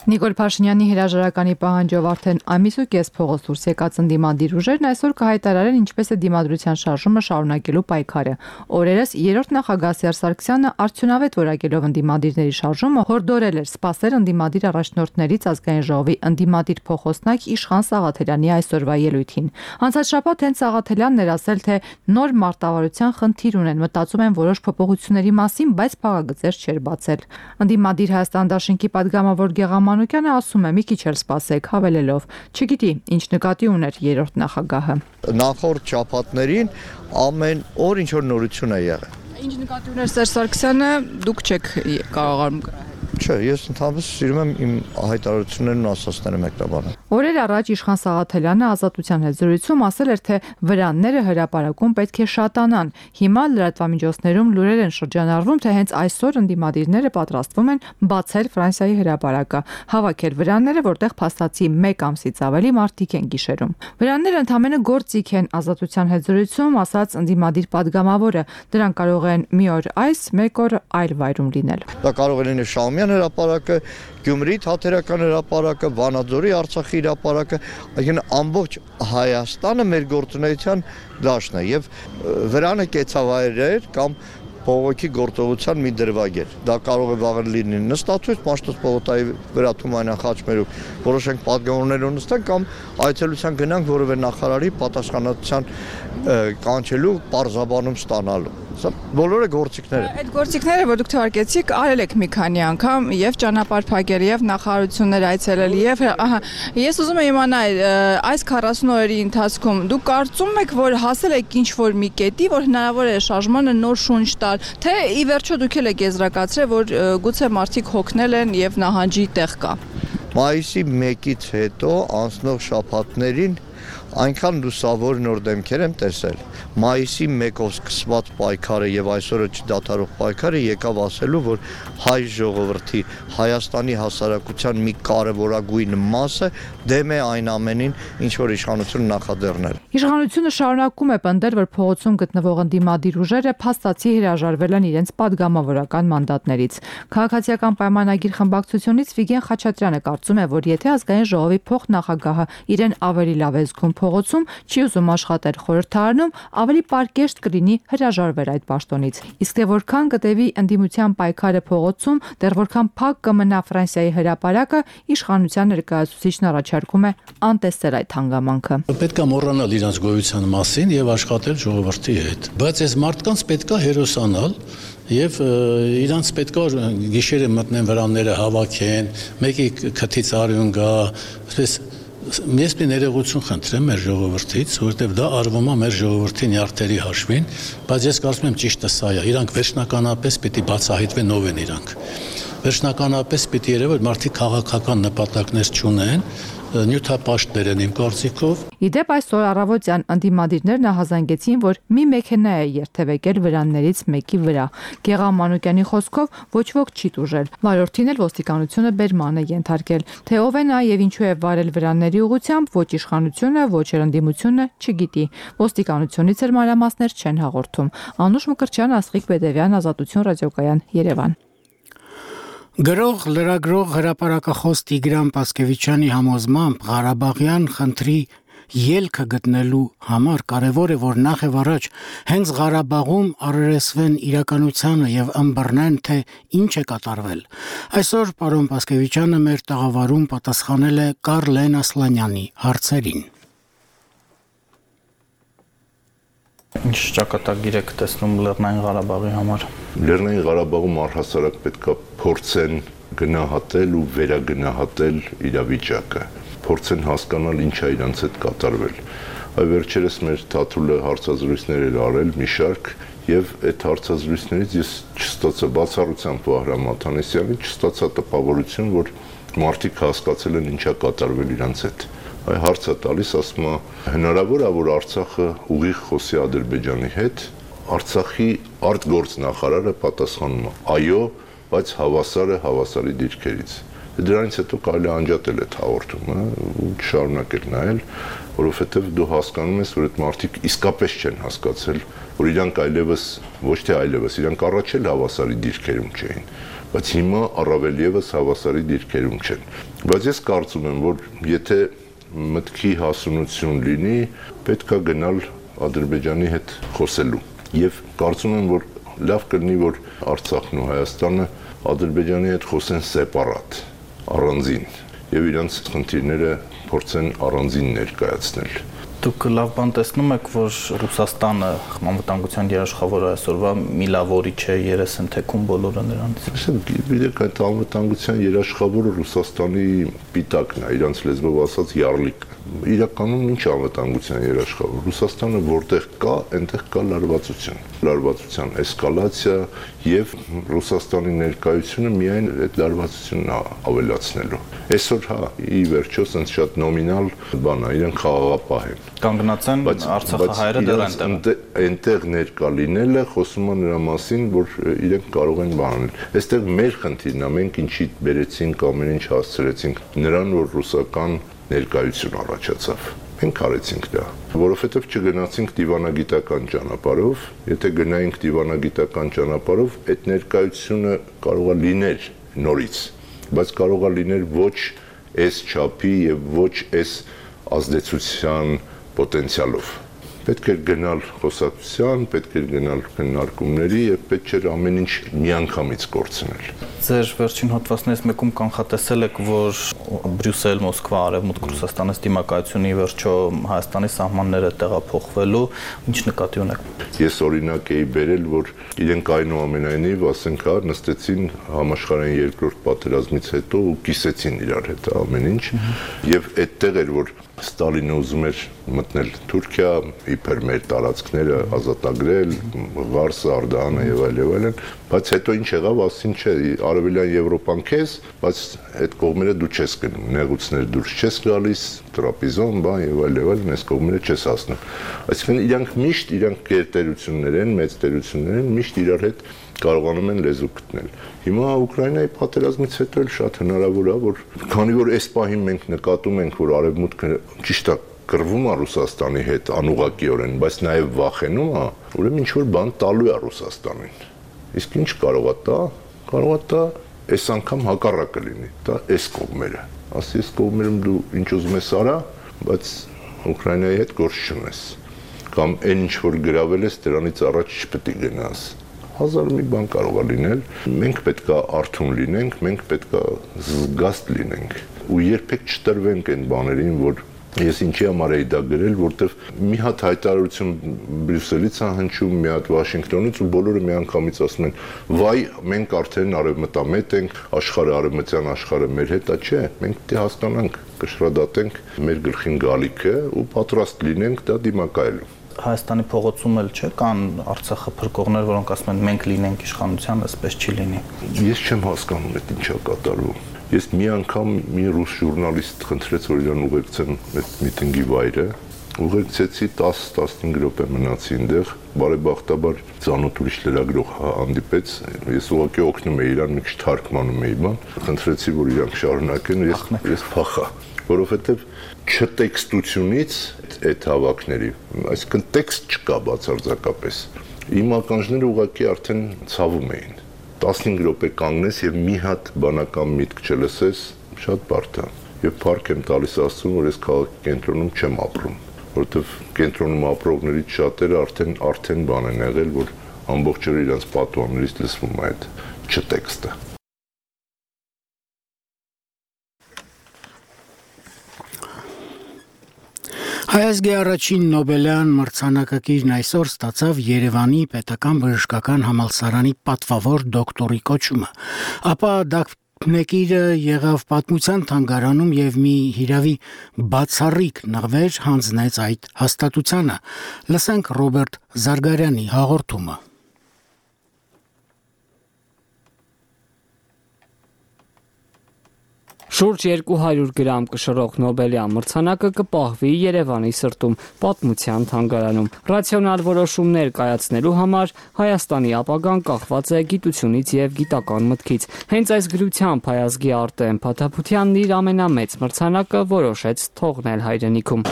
Նիկոլ Փաշինյանի հրաժարականի պահանջով արդեն ամիս ու կես փողոց դուրս եկած ընդդիմադիր ուժերն այսօր կհայտարարեն ինչպես է դիմադրության շարժումը շարունակելու պայքարը։ Օրերս երրորդ նախագահ Սերժ Սարգսյանը արդյունավետ որակելով ընդդիմադիրների շարժումը հորդորել էր սպասել ընդդիմադիր առաջնորդներից ազգային ժողովի ընդդիմադիր փոխոսնակ Իշխան Սաղաթելյանի այսօրվա ելույթին։ Անցած շաբաթ հենց Սաղաթելյանն էր ասել, թե նոր մարտավարության խնդիր ունեն, մտածում են որոշ փոփոխությունների մասին, բայց փաղագծեր չէր բացել։ Ընդդիմադիր Հայաստան դաշինքի падգամավոր Մանուկյանը ասում է՝ մի քիչ էլ սպասեք, հավելելով, չգիտի, ինչ նկատի ուներ երրորդ նախագահը։ Նախորդ շաբաթներին ամեն օր ինչ որ նորություն է եղել։ Ինչ նկատի ուներ Սերժ Սարգսյանը, դուք չեք կարողանում կրել։ Չէ, ես ընդհանրապես սիրում եմ իմ հայտարարություններն ու ասածները մեկնաբանել։ Օրեր առաջ Իշխան Սաղաթելյանը Ազատության հետ զրույցում ասել էր, թե վրանները հրապարակում պետք է շատանան։ Հիմա լրատվամիջոցներում լուրեր են շրջանառվում, թե հենց այսօր ընդդիմադիրները պատրաստվում են բացել Ֆրանսիայի հրապարակը, հավաքել վրանները, որտեղ փաստացի 1 ամսից ավելի մարդիկ են գիշերում։ Վրանները ընդամենը գործիք են, Ազատության հետ զրույցում ասաց ընդդիմադիր падգամավորը, դրանք կարող են մի օր այս, մեկ օր այլ վայրում լինել։ Դա կարող է լինել Շահումյան հրապարակը, Գյումրի Թատերական հրապարակը, Վանաձորի Արցախի հրապարակը, այսինքն ամբողջ Հայաստանը մեր գործունեության դաշտն է եւ վրանը կեցավայրեր կամ բողոքի գործողության մի դրվագ էր։ Դա կարող է վաղը լինի նստացույց, Մաշտոց պողոտայի վրա Թումանյան խաչմերուկ որոշենք падգամավորներ ունեցնենք կամ այցելության գնանք որևէ նախարարի պատասխանատվության կանչելու պարզաբանում ստանալու։ Սա բոլորը գործիքներ են։ Այդ գործիքները, որ դուք թվարկեցիք, արել եք մի քանի անգամ եւ ճանապարհ փակել եւ նախարարություններ այցելել եւ ես ուզում եմ իմանալ այս 40 օրերի ընթացքում դուք կարծում եք, որ հասել եք ինչ որ մի կետի, որ հնարավոր է շարժմանը նոր շունչ տալ, թե ի վերջո դուք էլ եք եզրակացրել, որ գուցե մարդիկ հոգնել են եւ նահանջի տեղ կա։ Մայիսի 1-ից հետո անցնող շաբաթներին այնքան լուսավոր նոր դեմքեր եմ տեսել։ Մայիսի 1-ով սկսված պայքարը եւ այսօրը չդադարող պայքարը եկավ ասելու, որ հայ ժողովրդի Հայաստանի հասարակության մի կարևորագույն մասը դեմ է այն ամենին, ինչ որ իշխանությունը նախաձեռնել։ Իշխանությունը շարունակում է պնդել, որ փողոցում գտնվող ընդդիմադիր ուժերը փաստացի հրաժարվել են իրենց падգամավորական մանդատներից։ Քաղաքացիական պայմանագիր խմբակցությունից Վիգեն Խաչատրյանը կարծում է, որ եթե ազգային ժողովի փոխնախագահը իրեն ավելի լավ է զգում փողոցում, չի ուզում աշխատել խորհրդարանում, ավելի պարկեշտ կլինի հրաժարվել այդ պաշտոնից։ Իսկ թե որքան կտևի ընդդիմության պայքարը փողոցում, դեռ որքան փակ կմնա Ֆրանսիայի հրապարակը, իշխանության ներկայացուցիչն առաջարկում է անտեսել այդ հանգամանքը։ Պետք է մոռանալ իրենց գոյության մասին եւ աշխատել ժողովրդի հետ։ Բայց այս մարդկանց պետք է հերոսանալ եւ իրանց պետք է գիշերը մտնեն վրանները հավաքեն, մեկի քթից արյուն գա, այսպես Ես մի ներողություն խնդրեմ մեր ժողովրդից, որովհետև դա արվում է մեր ժողովրդի նյարդերի հաշվին, բայց ես կարծում եմ ճիշտը սա է։ Իրանք վերջնականապես պիտի բացահայտվեն ով են իրանք։ Վերջնականապես պիտի երևի, որ մարդիկ քաղաքական նպատակներ չունեն, նյութապաշտներ են իմ կարծիքով։ Իդեպ այսօր առավոտյան ընդդիմադիրներն ահազանգեցին, որ մի մեքենա է երթևեկել վրաններից մեկի վրա։ Գեղամ Մանուկյանի խոսքով ոչ ոք չի տուժել։ Վարորդին էլ ոստիկանությունը բերման է ենթարկել։ Թե ով է նա եւ ինչու է վարել վրանների ուղղությամբ, ոչ իշխանությունը, ոչ ընդդիմությունը չգիտի։ Ոստիկանությունից էլ մանրամասներ չեն հաղորդում։ Անուշ Մկրտչյան, Աստղիկ Բեդևյան, Ազատություն ռադիոկայան, Երևան։ Գրող լրագրող հրապարակախոս Տիգրան Պասկևիչյանի համոզմամբ Ղարաբաղյան խնդրի ելքը գտնելու համար կարևոր է, որ նախ եւ առաջ հենց Ղարաբաղում առերեսվեն իրականությանը եւ ըմբռնեն, թե ինչ է կատարվել։ Այսօր պարոն Պասկևիչյանը մեր տաղավարում պատասխանել է Կարլեն Ասլանյանի հարցերին։ Ինչ ճակատագիր եք տեսնում Լեռնային Ղարաբաղի համար։ Լեռնային Ղարաբաղում առհասարակ պետք է փորձեն գնահատել ու վերագնահատել իրավիճակը, փորձեն հասկանալ ինչ է իրանց հետ կատարվել։ Այ վերջերս մեր Թաթուլը հարցազրույցներ էր արել մի շարք եւ այդ հարցազրույցներից ես չստացա բացառությամբ Վահրամ Աթանեսյանի չստացա տպավորություն, որ մարդիկ հասկացել են ինչ է կատարվել իրանց հետ։ Այ հարցը տալիս ասում է հնարավոր է որ Արցախը ուղիղ խոսի Ադրբեջանի հետ, Արցախի արտգործնախարարը պատասխանում է այո, բայց հավասարը հավասարի դիրքերից։ Դրանից հետո կարելի է անջատել այդ հաղորդումը ու շարունակել նայել, որովհետև դու հասկանում ես, որ այդ մարդիկ իսկապես չեն հասկացել, որ իրանք այլևս, ոչ թե այլևս, իրանք առաջ էլ հավասարի դիրքերում չէին, բայց հիմա առավել ևս հավասարի դիրքերում չեն։ Բայց ես կարծում եմ, որ եթե մտքի հասունություն լինի, պետք է գնալ Ադրբեջանի հետ խոսելու։ Եվ կարծում եմ, որ լավ կլինի, որ Արցախն ու Հայաստանը Ադրբեջանի հետ խոսեն սեպարատ, առանձին, եւ իրանց խնդիրները փորձեն առանձին ներկայացնել։ Դուք լավ բան տեսնում եք, որ Ռուսաստանը անվտանգության երաշխավորը այսօրվա մի լավ օրի չէ, երես են թեքում բոլորը նրանից։ Գիտեք, այդ անվտանգության երաշխավորը Ռուսաստանի պիտակն է, իրանց լեզվով ասած յարլիկ։ Իրականում ինչ անվտանգության երաշխավոր։ Ռուսաստանը որտեղ կա, այնտեղ կա լարվածություն, լարվածության էսկալացիա եւ Ռուսաստանի ներկայությունը միայն այդ լարվածությունն ավելացնելու։ Այսօր հա, ի վերջո, sense շատ նոմինալ բան է, իրենք խաղաղապահ են։ Կանգնած են Արցախի հայերը դեռ այնտեղ ներկա լինելը խոսում է նրա մասին, որ իրենք կարող են բանել։ Այստեղ մեր խնդիրն է, մենք ինչի բերեցինք, ամեն ինչ հասցրեցինք նրան, որ ռուսական ներկայություն առաջացավ։ Մենք արեցինք դա, որովհետև չգնացինք դիվանագիտական ճանապարհով, եթե գնայինք դիվանագիտական ճանապարհով, այդ ներկայությունը կարող է լինել նորից, բայց կարող է լինել ոչ այս չափի եւ ոչ այս ազդեցության պոտենցիալով։ Պետք է գնալ խոսակցության, պետք է գնալ քննարկումների եւ պետք չէ ամեն ինչ միանգամից կորցնել։ Ձեր վերջին հոդվածներից մեկում կանխատեսել եք, որ Բրյուսել, Մոսկվա, Արևմուտք Ռուսաստանից դիմակայությունի վերջո Հայաստանի սահմանները տեղափոխվելու, ինչ նկատի ունեք։ Ես օրինակ էի բերել, որ իրենք այնուամենայնիվ, ասենք, նստեցին համաշխարհային երկրորդ պատերազմից հետո ու կիսեցին իրար հետ ամեն ինչ, եւ այդտեղ էր, որ Ստալինը ուզում էր մտնել Թուրքիա, իբր մեր տարածքները ազատագրել, Ղարսը, Արդահանը եւ այլն, բայց հետո ինչ եղավ, ասին չէ, Արևելյան Եվրոպան քեզ, բայց այդ կողմերը դու չես գնում, նեղուցներ դուրս չես գալիս, տրապիզոն, բան եւ այլն, այս կողմերը չես հասնում։ Այսինքն իրանք միշտ իրանք գերտերություններ են, մեծ տերություններ են, միշտ իրար հետ կարողանում են լեզու գտնել։ Հիմա Ուկրաինայի պատերազմից հետո էլ շատ հնարավոր է, որ քանի որ այս պահին մենք նկատում ենք, որ Արևմուտքը ճիշտ է կռվում է Ռուսաստանի հետ անուղղակիորեն, բայց նաև վախենում է, ուրեմն ինչ-որ բան տալու է Ռուսաստանին։ Իսկ ինչ կարող է տա, կարող է տա այս անգամ հակառակը լինի, դա այս կողմերը։ Ասի այս կողմերում դու ինչ ուզում ես արա, բայց Ուկրաինայի հետ գործ չունես։ Կամ այն ինչ որ գրավել ես, դրանից առաջ չպետք է գնաս։ Հազար մի բան կարող է լինել, մենք պետք է արթուն լինենք, մենք պետք է զգաստ լինենք ու երբեք չտրվենք այն բաներին, որ ես ինչի համար էի դա գրել, որտեվ մի հատ հայտարարություն Բրյուսելից է հնչում, մի հատ Վաշինգտոնից ու բոլորը միանգամից ասում են, վայ, մենք արդեն արևմտամետ ենք, աշխարհը արևմտյան աշխարհը մեր հետ է, չէ, մենք պետք է հասկանանք, կշռադատենք մեր գլխին գալիքը ու պատրաստ լինենք դա դիմակայելու։ Հայաստանի փողոցում էլ չէ կան Արցախը փրկողներ, որոնք ասում են մենք լինենք իշխանության, այսպես չի լինի։ Ես չեմ հասկանում այդ ինչա կատարվում։ Ես մի անգամ մի ռուս ժուրնալիստ խնդրեց, որ իրան ուղեկցեն այդ միտինգի վայրը, ուղեկցեցի 10-15 րոպե մնացի այնտեղ, բարեբախտաբար ծանոթ ուրիշ լրագրող հանդիպեց, ես ուղղակի օգնում էի իրան, մի քիչ թարգմանում էի բան, խնդրեցի, որ իրանք շարունակեն, ես փախա, որովհետև չտեքստությունից այդ հավաքների, այսինքն տեքստ չկա բացարձակապես։ Իմ ականջները ուղղակի արդեն ցավում էին։ 15 րոպե կանգնես եւ մի հատ բանական միտք չլսես, շատ բարդ է։ Եվ փառք եմ տալիս Աստծուն, որ ես քաղաքի կենտրոնում չեմ ապրում, որովհետեւ կենտրոնում ապրողներից շատերը արդեն բան են եղել, որ ամբողջ օրը իրենց պատուհաններից լսվում է այդ չտեքստը։ Հայազգի առաջին Նոբելյան մրցանակակիրն այսօր ստացավ Երևանի պետական բժշկական համալսարանի պատվավոր դոկտորի կոչումը, ապա դափնեկիրը եղավ պատմության թանգարանում եւ մի հիրավի բացառիկ նվեր հանձնեց այդ հաստատությանը։ Լսենք Ռոբերտ Զարգարյանի հաղորդումը։ Շուրջ 200 գրամ կշռող Նոբելյան մրցանակը կպահվի Երևանի սրտում պատմության թանգարանում։ Ռացիոնալ որոշումներ կայացնելու համար Հայաստանի ապագան կախված է գիտությունից եւ գիտական մտքից։ Հենց այս գրությամբ հայազգի Արտեմ Փաթափությանն իր ամենամեծ մրցանակը որոշեց թողնել հայրենիքում։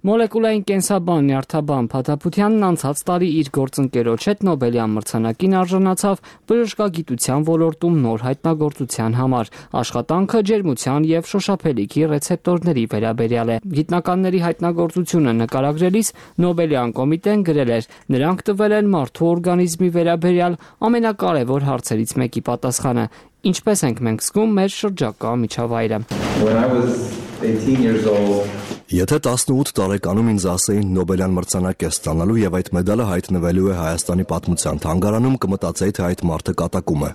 Մոլեկուլային կենսաբան Նյարդաբան Փաթափությանն անցած տարի իր գործընկերոջ հետ Նոբելյան մրցանակին արժանացավ բժշկագիտության ոլորտում նոր հայտնագործության համար։ Աշխատանքը ջերմության եւ շոշափելիքի ռեցեպտորների վերաբերյալ է։ Գիտնականների հայտնագործությունը նկարագրելիս Նոբելյան կոմիտեն գրել էր. նրանք տվել են մարդու օրգանիզմի վերաբերյալ ամենակարևոր հարցերից մեկի պատասխանը. ինչպես ենք մենք զգում մեր շրջակա միջավայրը։ Եթե 18 տարեկանում ինձ ասեին Նոբելյան մրցանակ է ստանալու եւ այդ մեդալը հայտնվելու է Հայաստանի պատմության թանգարանում, կմտածեի, թե այդ մարդը կատակում է։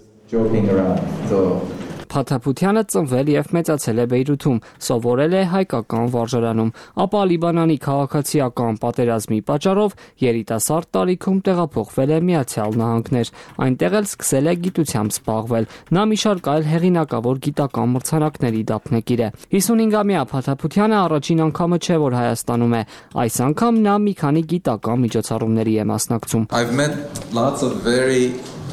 Փաթափությանը ծնվել եւ մեծացել է Բեյրութում, սովորել է հայկական վարժարանում, ապա Լիբանանի քաղաքացիական պատերազմի պատճառով երիտասարդ տարիքում տեղափոխվել է Միացյալ Նահանգներ, այնտեղ էլ սկսել է գիտությամբ զբաղվել։ Նա մի շարք այլ հեղինակավոր գիտական մրցանակների դափնեկիր է։ 55-ամյա Փաթափությանը առաջին անգամը չէ, որ Հայաստանում է, այս անգամ նա մի քանի գիտական միջոցառումների է մասնակցում։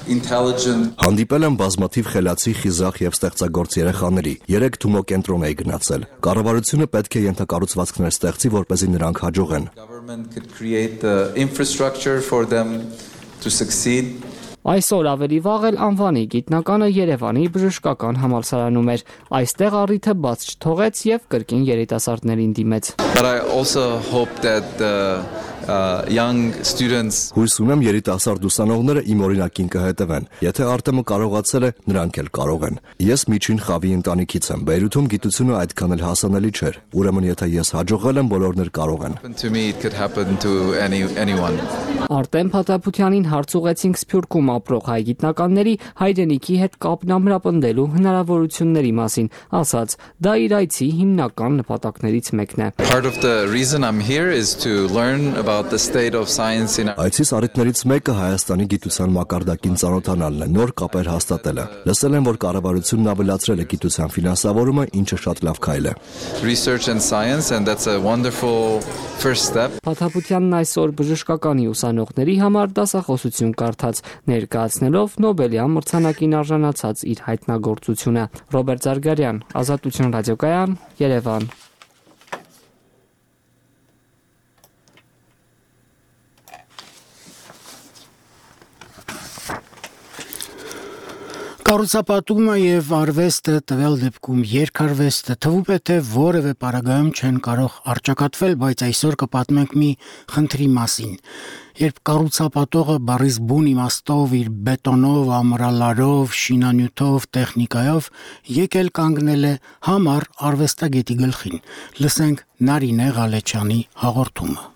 Հանդիպել եմ բազմաթիվ խելացի, խիզախ եւ ստեղծագործ երեխաների։ 3 Թումո կենտրոն էի գնացել։ Կառավարությունը պետք է ենթակառուցվածքներ ստեղծի, որպեսզի նրանք հաջողեն։ Այսօր ավելի վաղ էլ անվանի գիտնականը Երևանի բժշկական համալսարանում էր։ Այստեղ առիթը բաց չթողեց եւ կրկին երիտասարդներին դիմեց։ Հույս ունեմ երիտասարդ ուսանողները իմ օրինակին կհետևեն։ Եթե Արտեմը կարողացել է, նրանք էլ կարող են։ Ես միջին խավի ընտանիքից եմ։ Բեյրութում գիտությունը այդքան էլ հասանելի չէր։ Ուրեմն եթե ես հաջողել եմ, բոլորն էլ կարող են։ Արտեմ Փաթափությանին հարց ուղեցինք Սփյուռքում ապրող հայ գիտնականների հայրենիքի հետ կապն ամրապնդելու հնարավորությունների մասին, ասաց, դա իր այցի հիմնական նպատակներից մեկն է։ Այցիս առիթներից մեկը Հայաստանի գիտության մակարդակին ծանոթանալն է, նոր կապեր հաստատելը։ Լսել եմ, որ կառավարությունն ավելացրել է գիտության ֆինանսավորումը, ինչը շատ լավ քայլ է։ Փաթափությանն այսօր բժշկականի ուսանողների համար դասախոսություն կարդաց, ներկայացնելով Նոբելյան մրցանակին արժանացած իր հայտնագործությունը։ Ռոբերտ Զարգարյան, Ազատություն ռադիոկայան, Երևան։ Կառուցապատումը եւ արվեստը, տվյալ դեպքում երգարվեստը թվում է թե որևէ պարագայում չեն կարող առճակատվել, բայց այսօր կպատմենք մի խնդրի մասին։ Երբ կառուցապատողը բառից բուն իմաստով իր բետոնով, ամրալարով, շինանյութով, տեխնիկայով եկել կանգնել է համառ արվեստագետի գլխին։ Լսենք Նարինե Ղալեչյանի հաղորդումը։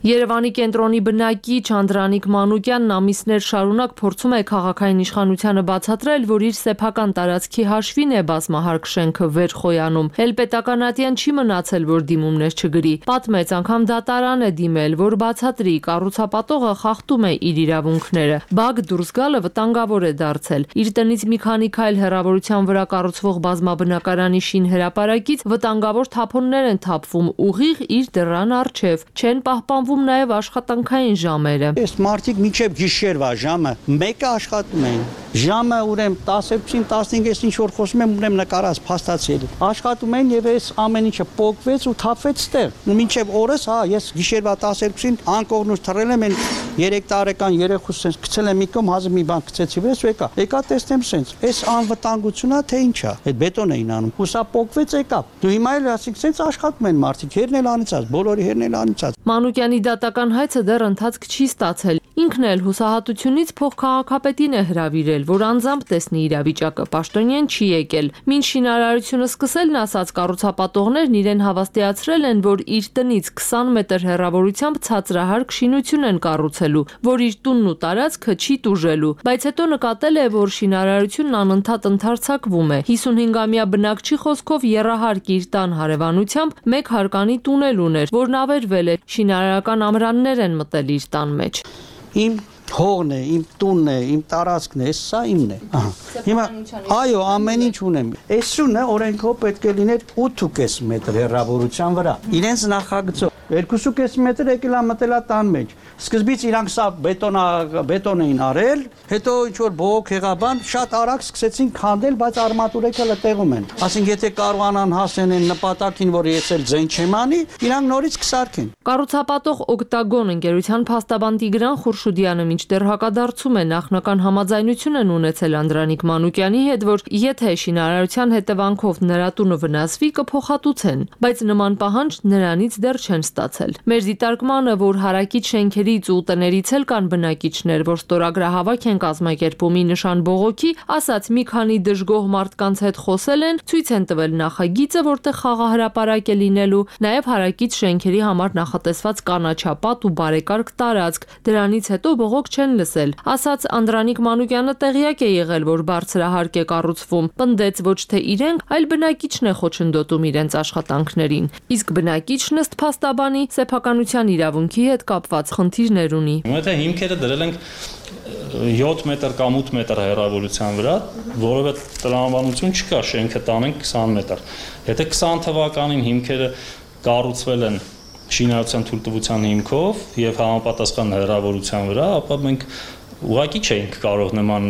Երևանի կենտրոնի բնակիչ Անդրանիկ Մանուկյանն ամիսներ շարունակ փորձում է քաղաքային իշխանությանը բացատրել, որ իր սեփական տարածքի հաշվին է բազմահարկ շենքը վեր խոյանում։ Հելպետականատյան չի մնացել, որ դիմումներ չգրի։ Պատմեց, անգամ դատարան է դիմել, որ բացատրի, կառուցապատողը խախտում է իր իրավունքները։ Բակ դուրս գալը վտանգավոր է դարձել։ Իր տնից մի քանի քայլ հեռավորության վրա կառուցվող բազմաբնակարանի շին հրապարակից վտանգավոր թափոններ են թափվում ուղիղ իր դռան առջև։ Չեն պահպանվում նաև աշխատանքային ժամերը։ Այս մարդիկ մինչև գիշերվա ժամը 1-ը աշխատում են։ Ժամը ուրեմն 10-ին 15-ից ինչ որ խոսում եմ, ուրեմն նկարած փաստացել։ Աշխատում են եւ այս ամեն ինչը փոկվեց ու թափվեց ստեղ։ Մինչև օրս, ես գիշերվա 12-ին անկողնուց թռել եմ 3 տարեկան երեխուս sense գցել եմ մի կողմ, հազիվ մի բան գցեցի վրաս ու եկա տեսնեմ sense։ Այս անվտանգությունա թե ինչա։ Այդ բետոն էին անում։ Հուսա փոկվեց եկա։ Դու հիմա էլ ասիկ sense աշխատում են մարդիկ, հերն էլ անիծած, բոլորի հերն էլ անիծած։ Մանուկյանի դատական հայցը դեռ ընթացք չի ստացել։ Ինքն էլ հուսահատությունից փոխքաղաքապետին է հրավիրել, որ անձամբ տեսնի իրավիճակը, պաշտոնյան չի եկել։ Մինչ շինարարությունը սկսելն ասած կառուցապատողներն իրեն հավաստիացրել են, որ իր տնից 20 մետր հեռավորությամբ ցածրահարկ շինություն են կառուցելու, որ իր տունն ու տարածքը չի տուժելու, բայց հետո նկատել է, որ շինարարությունն անընդհատ ընդարձակվում է։ 55-ամյա բնակչի խոսքով եռահարկ իր տան հարևանությամբ մեկ հարկանի տունել ուներ, որն ավերվել է, շինարարական ամրաններ են մտել իր տան մեջ։ Իմ հողն է, իմ տունն է, իմ տարածքն է, սա իմն է։ Հիմա այո, ամեն ինչ ունեմ։ Այս շունը օրենքով պետք է լիներ 8.5 մետր հեռավորության վրա։ Իրենց նախագծով 2.5 մետր եկել է մտել տան մեջ։ Սկզբից իրանք սա բետոն էին արել, հետո ինչ որ բողոք եղաբան, շատ արագ սկսեցին քանդել, բայց արմատուրեկը տեղում են։ Ասենք եթե կարողանան հասնեն այն նպատակին, որ ես էլ ձեն չեմ անի, իրանք նորից կսարքեն։ Կառուցապատող Օկտագոն ընկերության փաստաբան Տիգրան Խուրշուդյանը մինչդեռ հակադարձում է նախնական համաձայնություն են ունեցել Անդրանիկ Մանուկյանի հետ, որ եթե շինարարության հետևանքով նրա տունը վնասվի, կփոխհատուցեն, բայց նման պահանջ նրանից դեռ չեն ստացել։ Մեր դիտարկմանը, որ հարակից շենքերից ու տներից էլ կան բնակիչներ, որ ստորագրահավաք են կազմակերպում ի նշան բողոքի, ասած մի քանի դժգոհ մարդկանց հետ խոսել են, ցույց են տվել նախագիծը, որտեղ խաղահրապարակ է լինելու, նաև հարակից շենքերի համար նախատեսված կանաչապատ ու բարեկարգ տարածք։ Դրանից հետո բողոք չեն լսել։ Ասած Անդրանիկ Մանուկյանը տեղյակ է եղել, որ բարձրահարկ է կառուցվում, պնդեց ոչ թե իրենք, այլ բնակիչն է խոչընդոտում իրենց աշխատանքներին։ Իսկ բնակիչն ըստ փաստաբանի սեփականության իրավունքի հետ կապված խնդիրներ ունի։ Եթե հիմքերը դրել ենք 7 մետր կամ 8 մետր հեռավորության վրա, որովհետեւ տրամաբանություն չկա, շենքը տանենք 20 մետր։ Եթե 20 թվականին հիմքերը կառուցվել են շինարարության թույլտվության հիմքով եւ համապատասխան հեռավորության վրա, ապա մենք ուղղակի չէինք կարող նման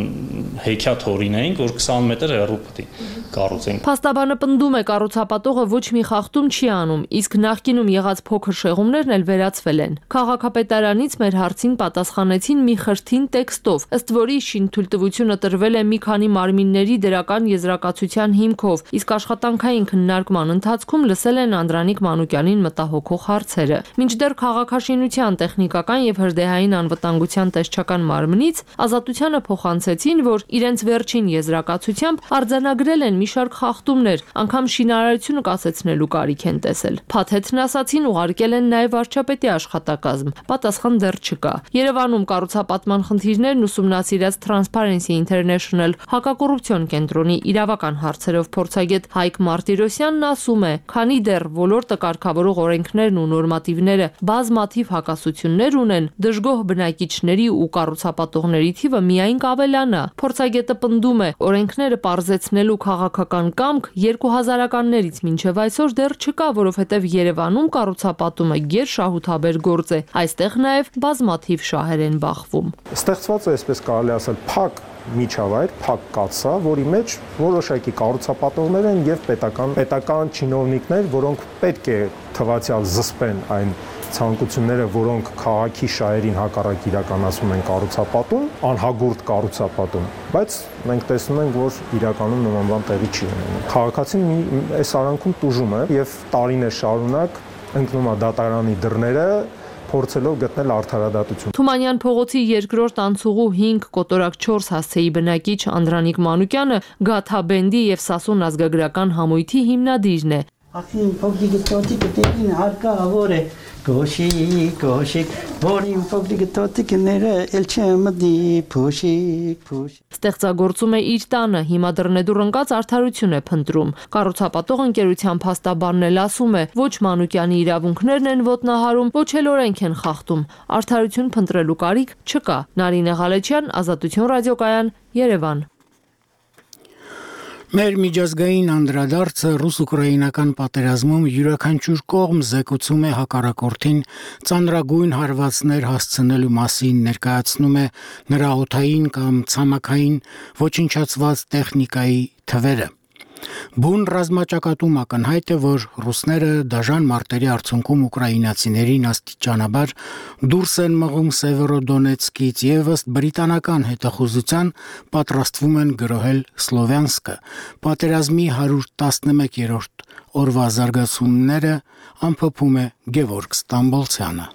հեքիաթ օրինեինք, որ 20 մետր հեռու պետք է կառուցենք։ Փաստաբանը պնդում է կառուցապատողը ոչ մի խախտում չի անում, իսկ նախկինում եղած փոքր շեղումներն էլ վերացվել են։ Քաղաքապետարանից մեր հարցին պատասխանեցին մի խրթին տեքստով, ըստ որի շինթույլտվությունը տրվել է մի քանի մարմինների դրական եզրակացության հիմքով, իսկ աշխատանքային քննարկման ընթացքում լսել են Անդրանիկ Մանուկյանին մտահոգող հարցերը։ Մինչդեռ քաղաքաշինության, տեխնիկական եւ հրդեհային անվտանգության տեսչական մարմին Ազատությանը փոխանցեցին, որ իրենց վերջին եզրակացությամբ արձանագրել են մի շարք խախտումներ, անգամ շինարարությունը կասեցնելու կարիք են տեսել։ Փաթեթն ասացին ուղարկել են նաև վարչապետի աշխատակազմ, պատասխան դեռ չկա։ Երևանում կառուցապատման խնդիրներն ուսումնասիրած Transparency International հակակոռուպցիոն կենտրոնի իրավական հարցերով փորձագետ Հայկ Մարտիրոսյանն ասում է, քանի դեռ ոլորտը կարգավորող օրենքներն ու նորմատիվները բազմաթիվ հակասություններ ունեն, դժգոհ բնակիչների ու կառուցապատողների թիվը միայն կավելանա։ Փորձագետը պնդում է, օրենքները պարզեցնելու քաղաքական կամք 2000-ականներից մինչև այսօր դեռ չկա, որովհետև Երևանում կառուցապատումը գերշահութաբեր գործ է։ Այստեղ նաև բազմաթիվ շահեր են բախվում։ Ստեղծված է, այսպես կարելի ասել, փակ միջավայր, փակ կաթսա, որի մեջ որոշակի կառուցապատողներ են եւ պետական չինովնիկներ, որոնք պետք է թվացial զսպեն այն ցանկությունները, որոնք քաղաքի շահերին հակառակ իրականացում են կառուցապատում, անհագուրդ կառուցապատում, բայց մենք տեսնում ենք, որ իրականում նման բան տեղի չի ունենում։ Քաղաքացին այս արանքում տուժում է եւ տարիներ շարունակ ընկնում է դատարանի դռները, փորձելով գտնել արդարադատություն։ Թումանյան փողոցի երկրորդ անցուղու 5 կոտորակ 4 հասցեի բնակիչ Անդրանիկ Մանուկյանը Գաթաբենդի եւ Սասուն ազգագրական համույթի հիմնադիրն է։ Ախին փոքրիկ տոտիկը տեքին հարկա ավոր է գոշիկ որին փոքրիկ տոտիկները էլ չմդի փոշիկ Ստեղծագործում է իր տանը, հիմա դռնեդուր ընկած արդարություն է փնտրում։ Կառուցապատող ընկերության փաստաբանն էլ ասում է, ոչ Մանուկյանի իրավունքներն են ոտնահարում, ոչ էլ օրենք են խախտում։ Արդարություն փնտրելու կարիք չկա։ Նարինե Ղալեչյան, Ազատություն ռադիոկայան, Երևան։ Մեր միջազգային անդրադարձը ռուս-ուկրաինական պատերազմում յուրաքանչյուր կողմ զեկուցում է հակառակորդին ծանրագույն հարվածներ հասցնելու մասին, ներկայացնում է նրա օդային կամ ցամաքային ոչնչացված տեխնիկայի թվերը։ Բուն ռազմաճակատում ակնհայտ է, որ ռուսները դաժան մարտերի արդյունքում ուկրաինացիներին աստիճանաբար դուրս են մղում Սևերոդոնեցկից եւ ըստ բրիտանական հետախուզության պատրաստվում են գրոհել Սլովյանսկը։ Պատերազմի 111-րդ օրվա զարգացումները ամփոփում է Գևորգ Ստամբոլցյանը։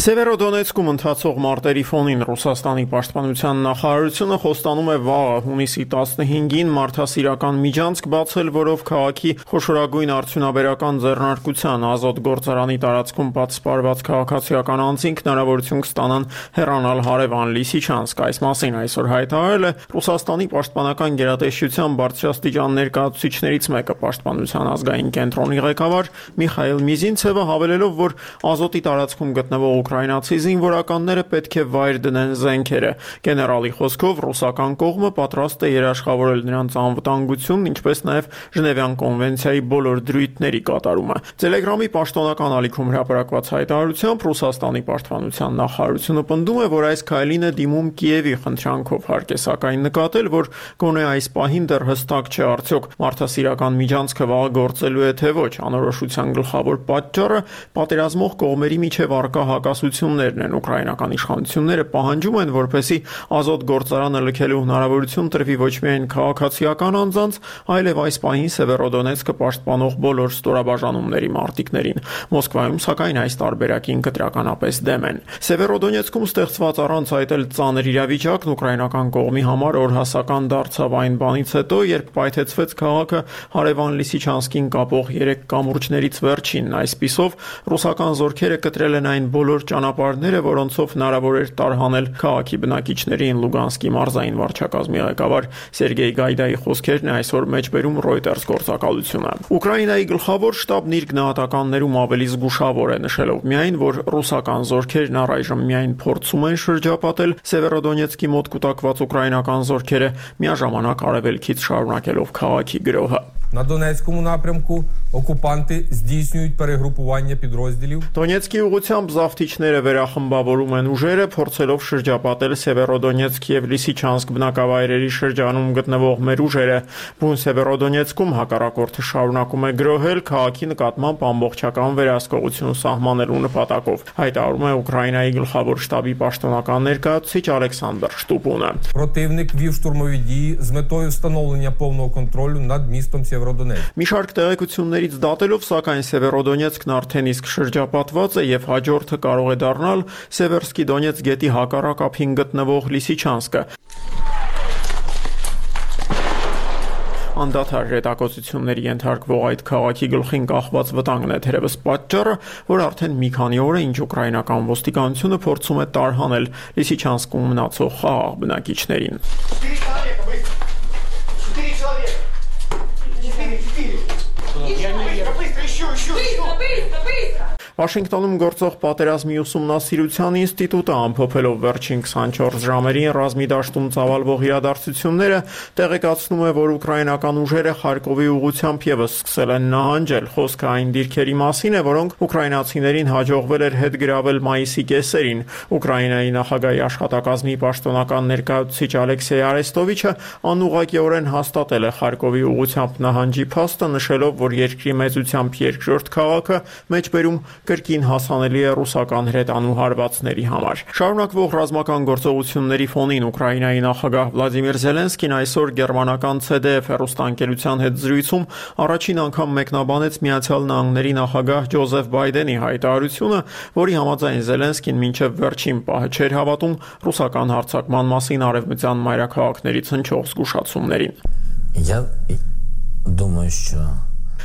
Սևերոդոնեցկում ընթացող մարտերի ֆոնին Ռուսաստանի պաշտպանության նախարարությունը խոստանում է վաղը հունիսի 15-ին մարդասիրական միջանցք բացել, որով քաղաքի խոշորագույն արդյունաբերական ձեռնարկության ազոտ գործարանի տարածքում պատսպարված քաղաքացիական անձինք հնարավորություն կստանան հեռանալ հարևան Լիսիչանսկ։ Այս մասին այսօր հայտարարել է Ռուսաստանի պաշտպանական գերատեսչության բարձրաստիճան ներկայացուցիչներից մեկը, պաշտպանության ազգային կենտրոնի ղեկավար Միխայել Միզինցևը, հավելելով, որ ազոտի տարածքում գտնվող ուկրաինացի զինվորականները պետք է վայր դնեն զենքերը։ Գեներալի խոսքով ռուսական կողմը պատրաստ է երաշխավորել նրանց անվտանգությունն, ինչպես նաև Ժնևյան կոնվենցիայի բոլոր դրույթների կատարումը։ Տելեգրամի պաշտոնական ալիքում հրապարակված հայտարարությամբ Ռուսաստանի պաշտպանության նախարարությունը պնդում է, որ այս քայլին է դիմում Կիևի խնդրանքով, հարկ է սակայն նկատել, որ գոնե այս պահին դեռ հստակ չէ արդյոք մարդասիրական միջանցքը վաղ գործելու է թե ոչ։ Անորոշության գլխավոր պատճառը պատերազմող կողմերի միջև առկա հակասություններն են։ Ուկրաինական իշխանությունները պահանջում են, որպեսզի ազոտ գործարանը լքելու հնարավորություն տրվի ոչ միայն քաղաքացիական անձանց, այլև այս պահին Սևերոդոնեցկը պաշտպանող բոլոր ստորաբաժանումների մարտիկներին։ Մոսկվայում սակայն այս տարբերակին կտրականապես դեմ են։ Սևերոդոնեցկում ստեղծված առանց այդ էլ ծանր իրավիճակն ուկրաինական կողմի համար օրհասական դարձավ այն բանից հետո, երբ պայթեցվեց քաղաքը հարևան Լիսիչանսկին կապող 3 կամուրջներից վերջինն։ Այսպիսով ռուսական զորքերը կտրել են այն բոլոր ճանապարհները, որոնցով հնարավոր էր տարհանել քաղաքի բնակիչներին։ Լուգանսկի մարզային վարչակազմի ղեկավար Սերգեյ Գայդայի խոսքերն է այսօր մեջբերում Reuters գործակալությունը։ Ուկրաինայի գլխավոր շտաբն իր գնահատականներում ավելի զգուշավոր է, նշելով միայն, որ ռուսական զորքերն առայժմ միայն փորձում են շրջապատել Սևերոդոնեցկի мот կուտակված ուկրաինական զորքերը, միաժամանակ արևելքից շարունակելով քաղաքի գրոհը։ На Донецькому напрямку окупанти здійснюють перегрупування підрозділів. Դոնեցկի ուղղությամբ զավթիչները վերախմբավորում են ուժերը, փորձելով շրջապատել Սևերոդոնեցկ եւ Լիսիչանսկ բնակավայրերի շրջանում գտնվող մեր ուժերը։ Բուն Սևերոդոնեցկում հակառակորդը շարունակում է գրոհել քաղաքի նկատմամբ ամբողջական վերահսկողություն սահմանելու նպատակով, հայտարարում է Ուկրաինայի գլխավոր շտաբի պաշտոնական ներկայացուցիչ Ալեքսանդր Շտուպունը։ Противник вів штурмові дії з метою встановлення повного контролю над містом Сєвєродонецьк. Մի շարք տեղեկություններից դատելով, սակայն Սևերոդոնեցկն արդեն իսկ շրջապատված է եւ հաջորդը կարող է դառնալ Սևերսկի Դոնեցկ գետի հակառակ ափին գտնվող Լիսիչանսկը։ Անդադար հետակոծությունների ենթարկվող այդ քաղաքի գլխին կախված վտանգն է թերևս պատճառը, որ արդեն մի քանի օր է ինչ ուկրաինական ոստիկանությունը փորձում է տարհանել Լիսիչանսկում մնացող խաղաղ բնակիչներին։ Վաշինգտոնում գործող պատերազմի ուսումնասիրության ինստիտուտը ամփոփելով վերջին 24 ժամերին ռազմի դաշտում ծավալվող իրադարձությունները տեղեկացնում է, որ ուկրաինական ուժերը Խարկովի ուղղությամբ եւս սկսել են նահանջել։ Խոսքը այն դիրքերի մասին է, որոնք ուկրաինացիներին հաջողվել էր հետ գրավել մայիսի կեսերին։ Ուկրաինայի նախագահի աշխատակազմի պաշտոնական ներկայացուցիչ Ալեքսեյ Արեստովիչը անուղղակիորեն հաստատել է Խարկովի ուղղությամբ նահանջի փաստը, նշելով, որ երկրի մեծությամբ երկրորդ քաղաքը մեջբերում կրկին հասանելի է ռուսական հրետանու հարվածների համար։ Շարունակվող ռազմական գործողությունների ֆոնին Ուկրաինայի նախագահ Վլադիմիր Զելենսկին այսօր գերմանական CDF հեռուստաընկերության հետ զրույցում առաջին անգամ մեկնաբանեց Միացյալ Նահանգների նախագահ Ջոզեֆ Բայդենի հայտարարությունը, որի համաձայն Զելենսկին մինչև վերջին պահը չէր հավատում ռուսական հարձակման մասին արևմտյան մայրաքաղաքներից հնչող զգուշացումներին։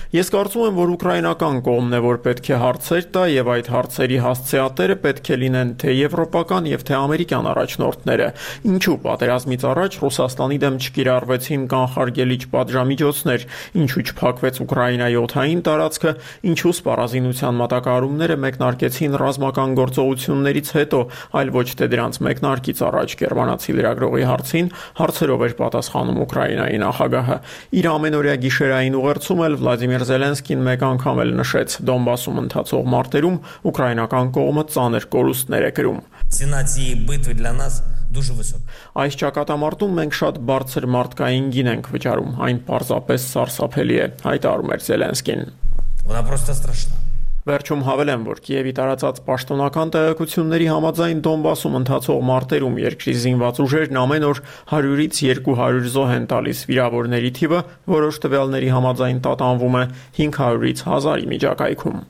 Ես կարծում եմ, որ ուկրաինական կողմն է, որ պետք է հարցեր տա եւ այդ հարցերի հասցեատերը պետք է լինեն թե եվրոպական եւ թե ամերիկյան առաջնորդները։ Ինչու պատերազմից առաջ Ռուսաստանի դեմ չկիրառվեցին կանխարգելիչ պատժամիջոցներ, ինչու չփակվեց Ուկրաինայի օդային տարածքը, ինչու սպառազինության մատակարարումները մեկնարկեցին ռազմական գործողություններից հետո, այլ ոչ թե դրանց մեկնարկից առաջ։ Գերմանացի լրագրողի հարցին հարցերով էր պատասխանում Ուկրաինայի նախագահը։ Իր ամենօրյա գիշերային ուղերձում էլ Վլադիմիր Զելենսկին մեկ անգամ էլ նշեց. Դոնբասում ընթացող մարտերում ուկրաինական կողմը ծանր կորուստներ է կրում։ Այս ճակատամարտում մենք շատ բարձր մարդկային գին ենք վճարում, այն պարզապես սարսափելի է, հայտարարում էր Զելենսկին։ Վերջում հավելեմ, որ Կիևի տարածած պաշտոնական տեղեկությունների համաձայն Դոնբասում ընթացող մարտերում երկրի զինված ուժերն ամեն օր 100-ից 200 զոհ են տալիս, վիրավորների թիվը որոշ տվյալների համաձայն տատանվում է 500-ից 1000-ի միջակայքում։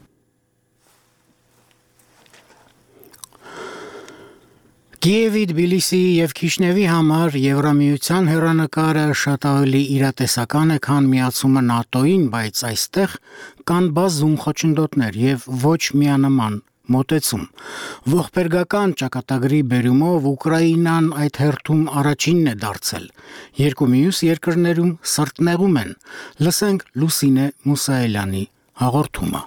Կիևի, Թբիլիսիի եւ Քիշնևի համար Եվրամիության հեռանկարը շատ ավելի իրատեսական է, քան միացումը ՆԱՏՕ-ին, բայց այստեղ կան բազում խոչընդոտներ եւ ոչ միանման մոտեցում։ Ողբերգական ճակատագրի բերումով Ուկրաինան այդ հերթում առաջինն է դարձել։ Երկու մյուս երկրներում սրտնեղում են։ Լսենք Լուսինե Մուսայելյանի հաղորդումը։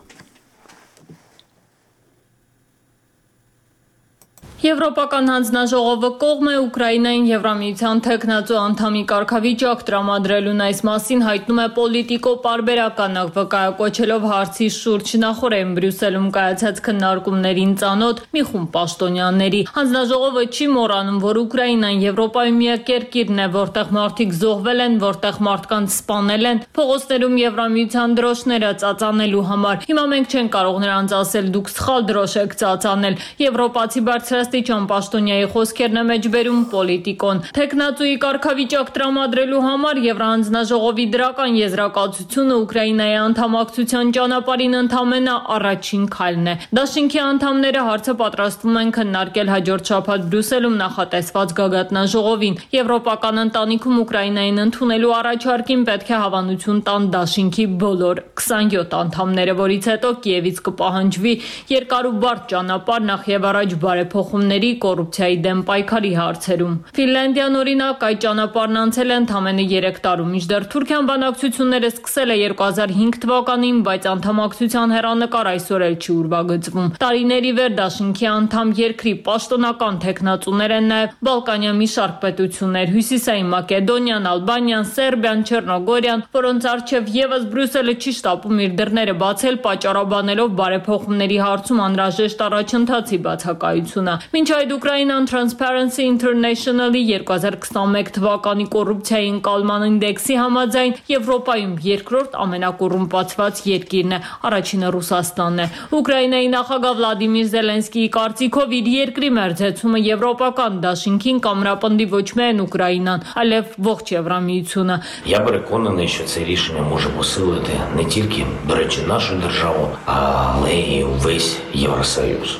Եվրոպական հանձնաժողովը կողմ է Ուկրաինային Եվրամիության թեկնածու անդամի կարգավիճակ տրամադրելուն, այս մասին հայտնում է Պոլիտիկո պարբերականը, վկայակոչելով հարցի շուրջ նախօրեն Բրյուսելում կայացած քննարկումներին ծանոթ մի խումբ պաշտոնյաների։ Հանձնաժողովը չի մոռանում, որ Ուկրաինան Եվրոպայի միակ երկիրն է, որտեղ մարդիկ զոհվել են, որտեղ մարդկանց սպանել են, փողոցներում Եվրամիության դրոշները ծածանելու համար։ Հիմա մենք չենք կարող նրանց ասել՝ դուք սխալ դրոշ եք ծածանել։ Եվրոպացի բարձրաստիճան պաշտոնյայի խոսքերն է մեջբերում Պոլիտիկոն։ Թեկնածուի կարգավիճակ տրամադրելու համար Եվրահանձնաժողովի դրական եզրակացությունը Ուկրաինայի անդամակցության ճանապարհին ընդամենը առաջին քայլն է։ Դաշինքի անդամները հարցը պատրաստվում են քննարկել հաջորդ շաբաթ Բրյուսելում նախատեսված գագաթնաժողովին։ Եվրոպական ընտանիքում Ուկրաինային ընդունելու առաջարկին պետք է հավանություն տան Դաշինքի բոլոր 27 անդամները, որից հետո Կիևից կպահանջվի երկար ու բարդ ճանապարհ նախ եւ առաջ բարեփոխումների, կոռուպցիայի դեմ պայքարի հարցերում։ Ֆինլանդիան օրինակ այդ ճանապարհն անցել է ընդամենը 3 տարում, մինչդեռ Թուրքիան բանակցությունները սկսել է 2005 թվականին, բայց անդամակցության հեռանկար այսօր էլ չի ուրվագծվում։ Տարիների վեր Դաշինքի անդամ երկրի պաշտոնական թեկնածուներ են նաև Բալկանյան մի շարք պետություններ՝ Հյուսիսային Մակեդոնիան, Ալբանիան, Սերբիան, Չեռնոգորիան, որոնց առջև եւս Բրյուսելը չի շտապում իր դռները բացել, պատճառաբանելով բարեփոխումների հարցում անհրաժեշտ առաջընթացի բացակայությունը։ Մինչ այդ Ուկրաինան Transparency International-ի 2021 թվականի կոռուպցիայի ընկալման ինդեքսի համաձայն Եվրոպայում երկրորդ ամենակոռումպացված երկիրն է, առաջինը Ռուսաստանն է։ Ուկրաինայի նախագահ Վլադիմիր Զելենսկիի կարծիքով իր երկրի մերձեցումը Եվրոպական դաշինքին կամրապնդի ոչ միայն Ուկրաինան, այլև ողջ Євроміությունը. Я переконаний, що це рішення може посилити не тільки, до речі, нашу державу, але й увесь Євросоюз.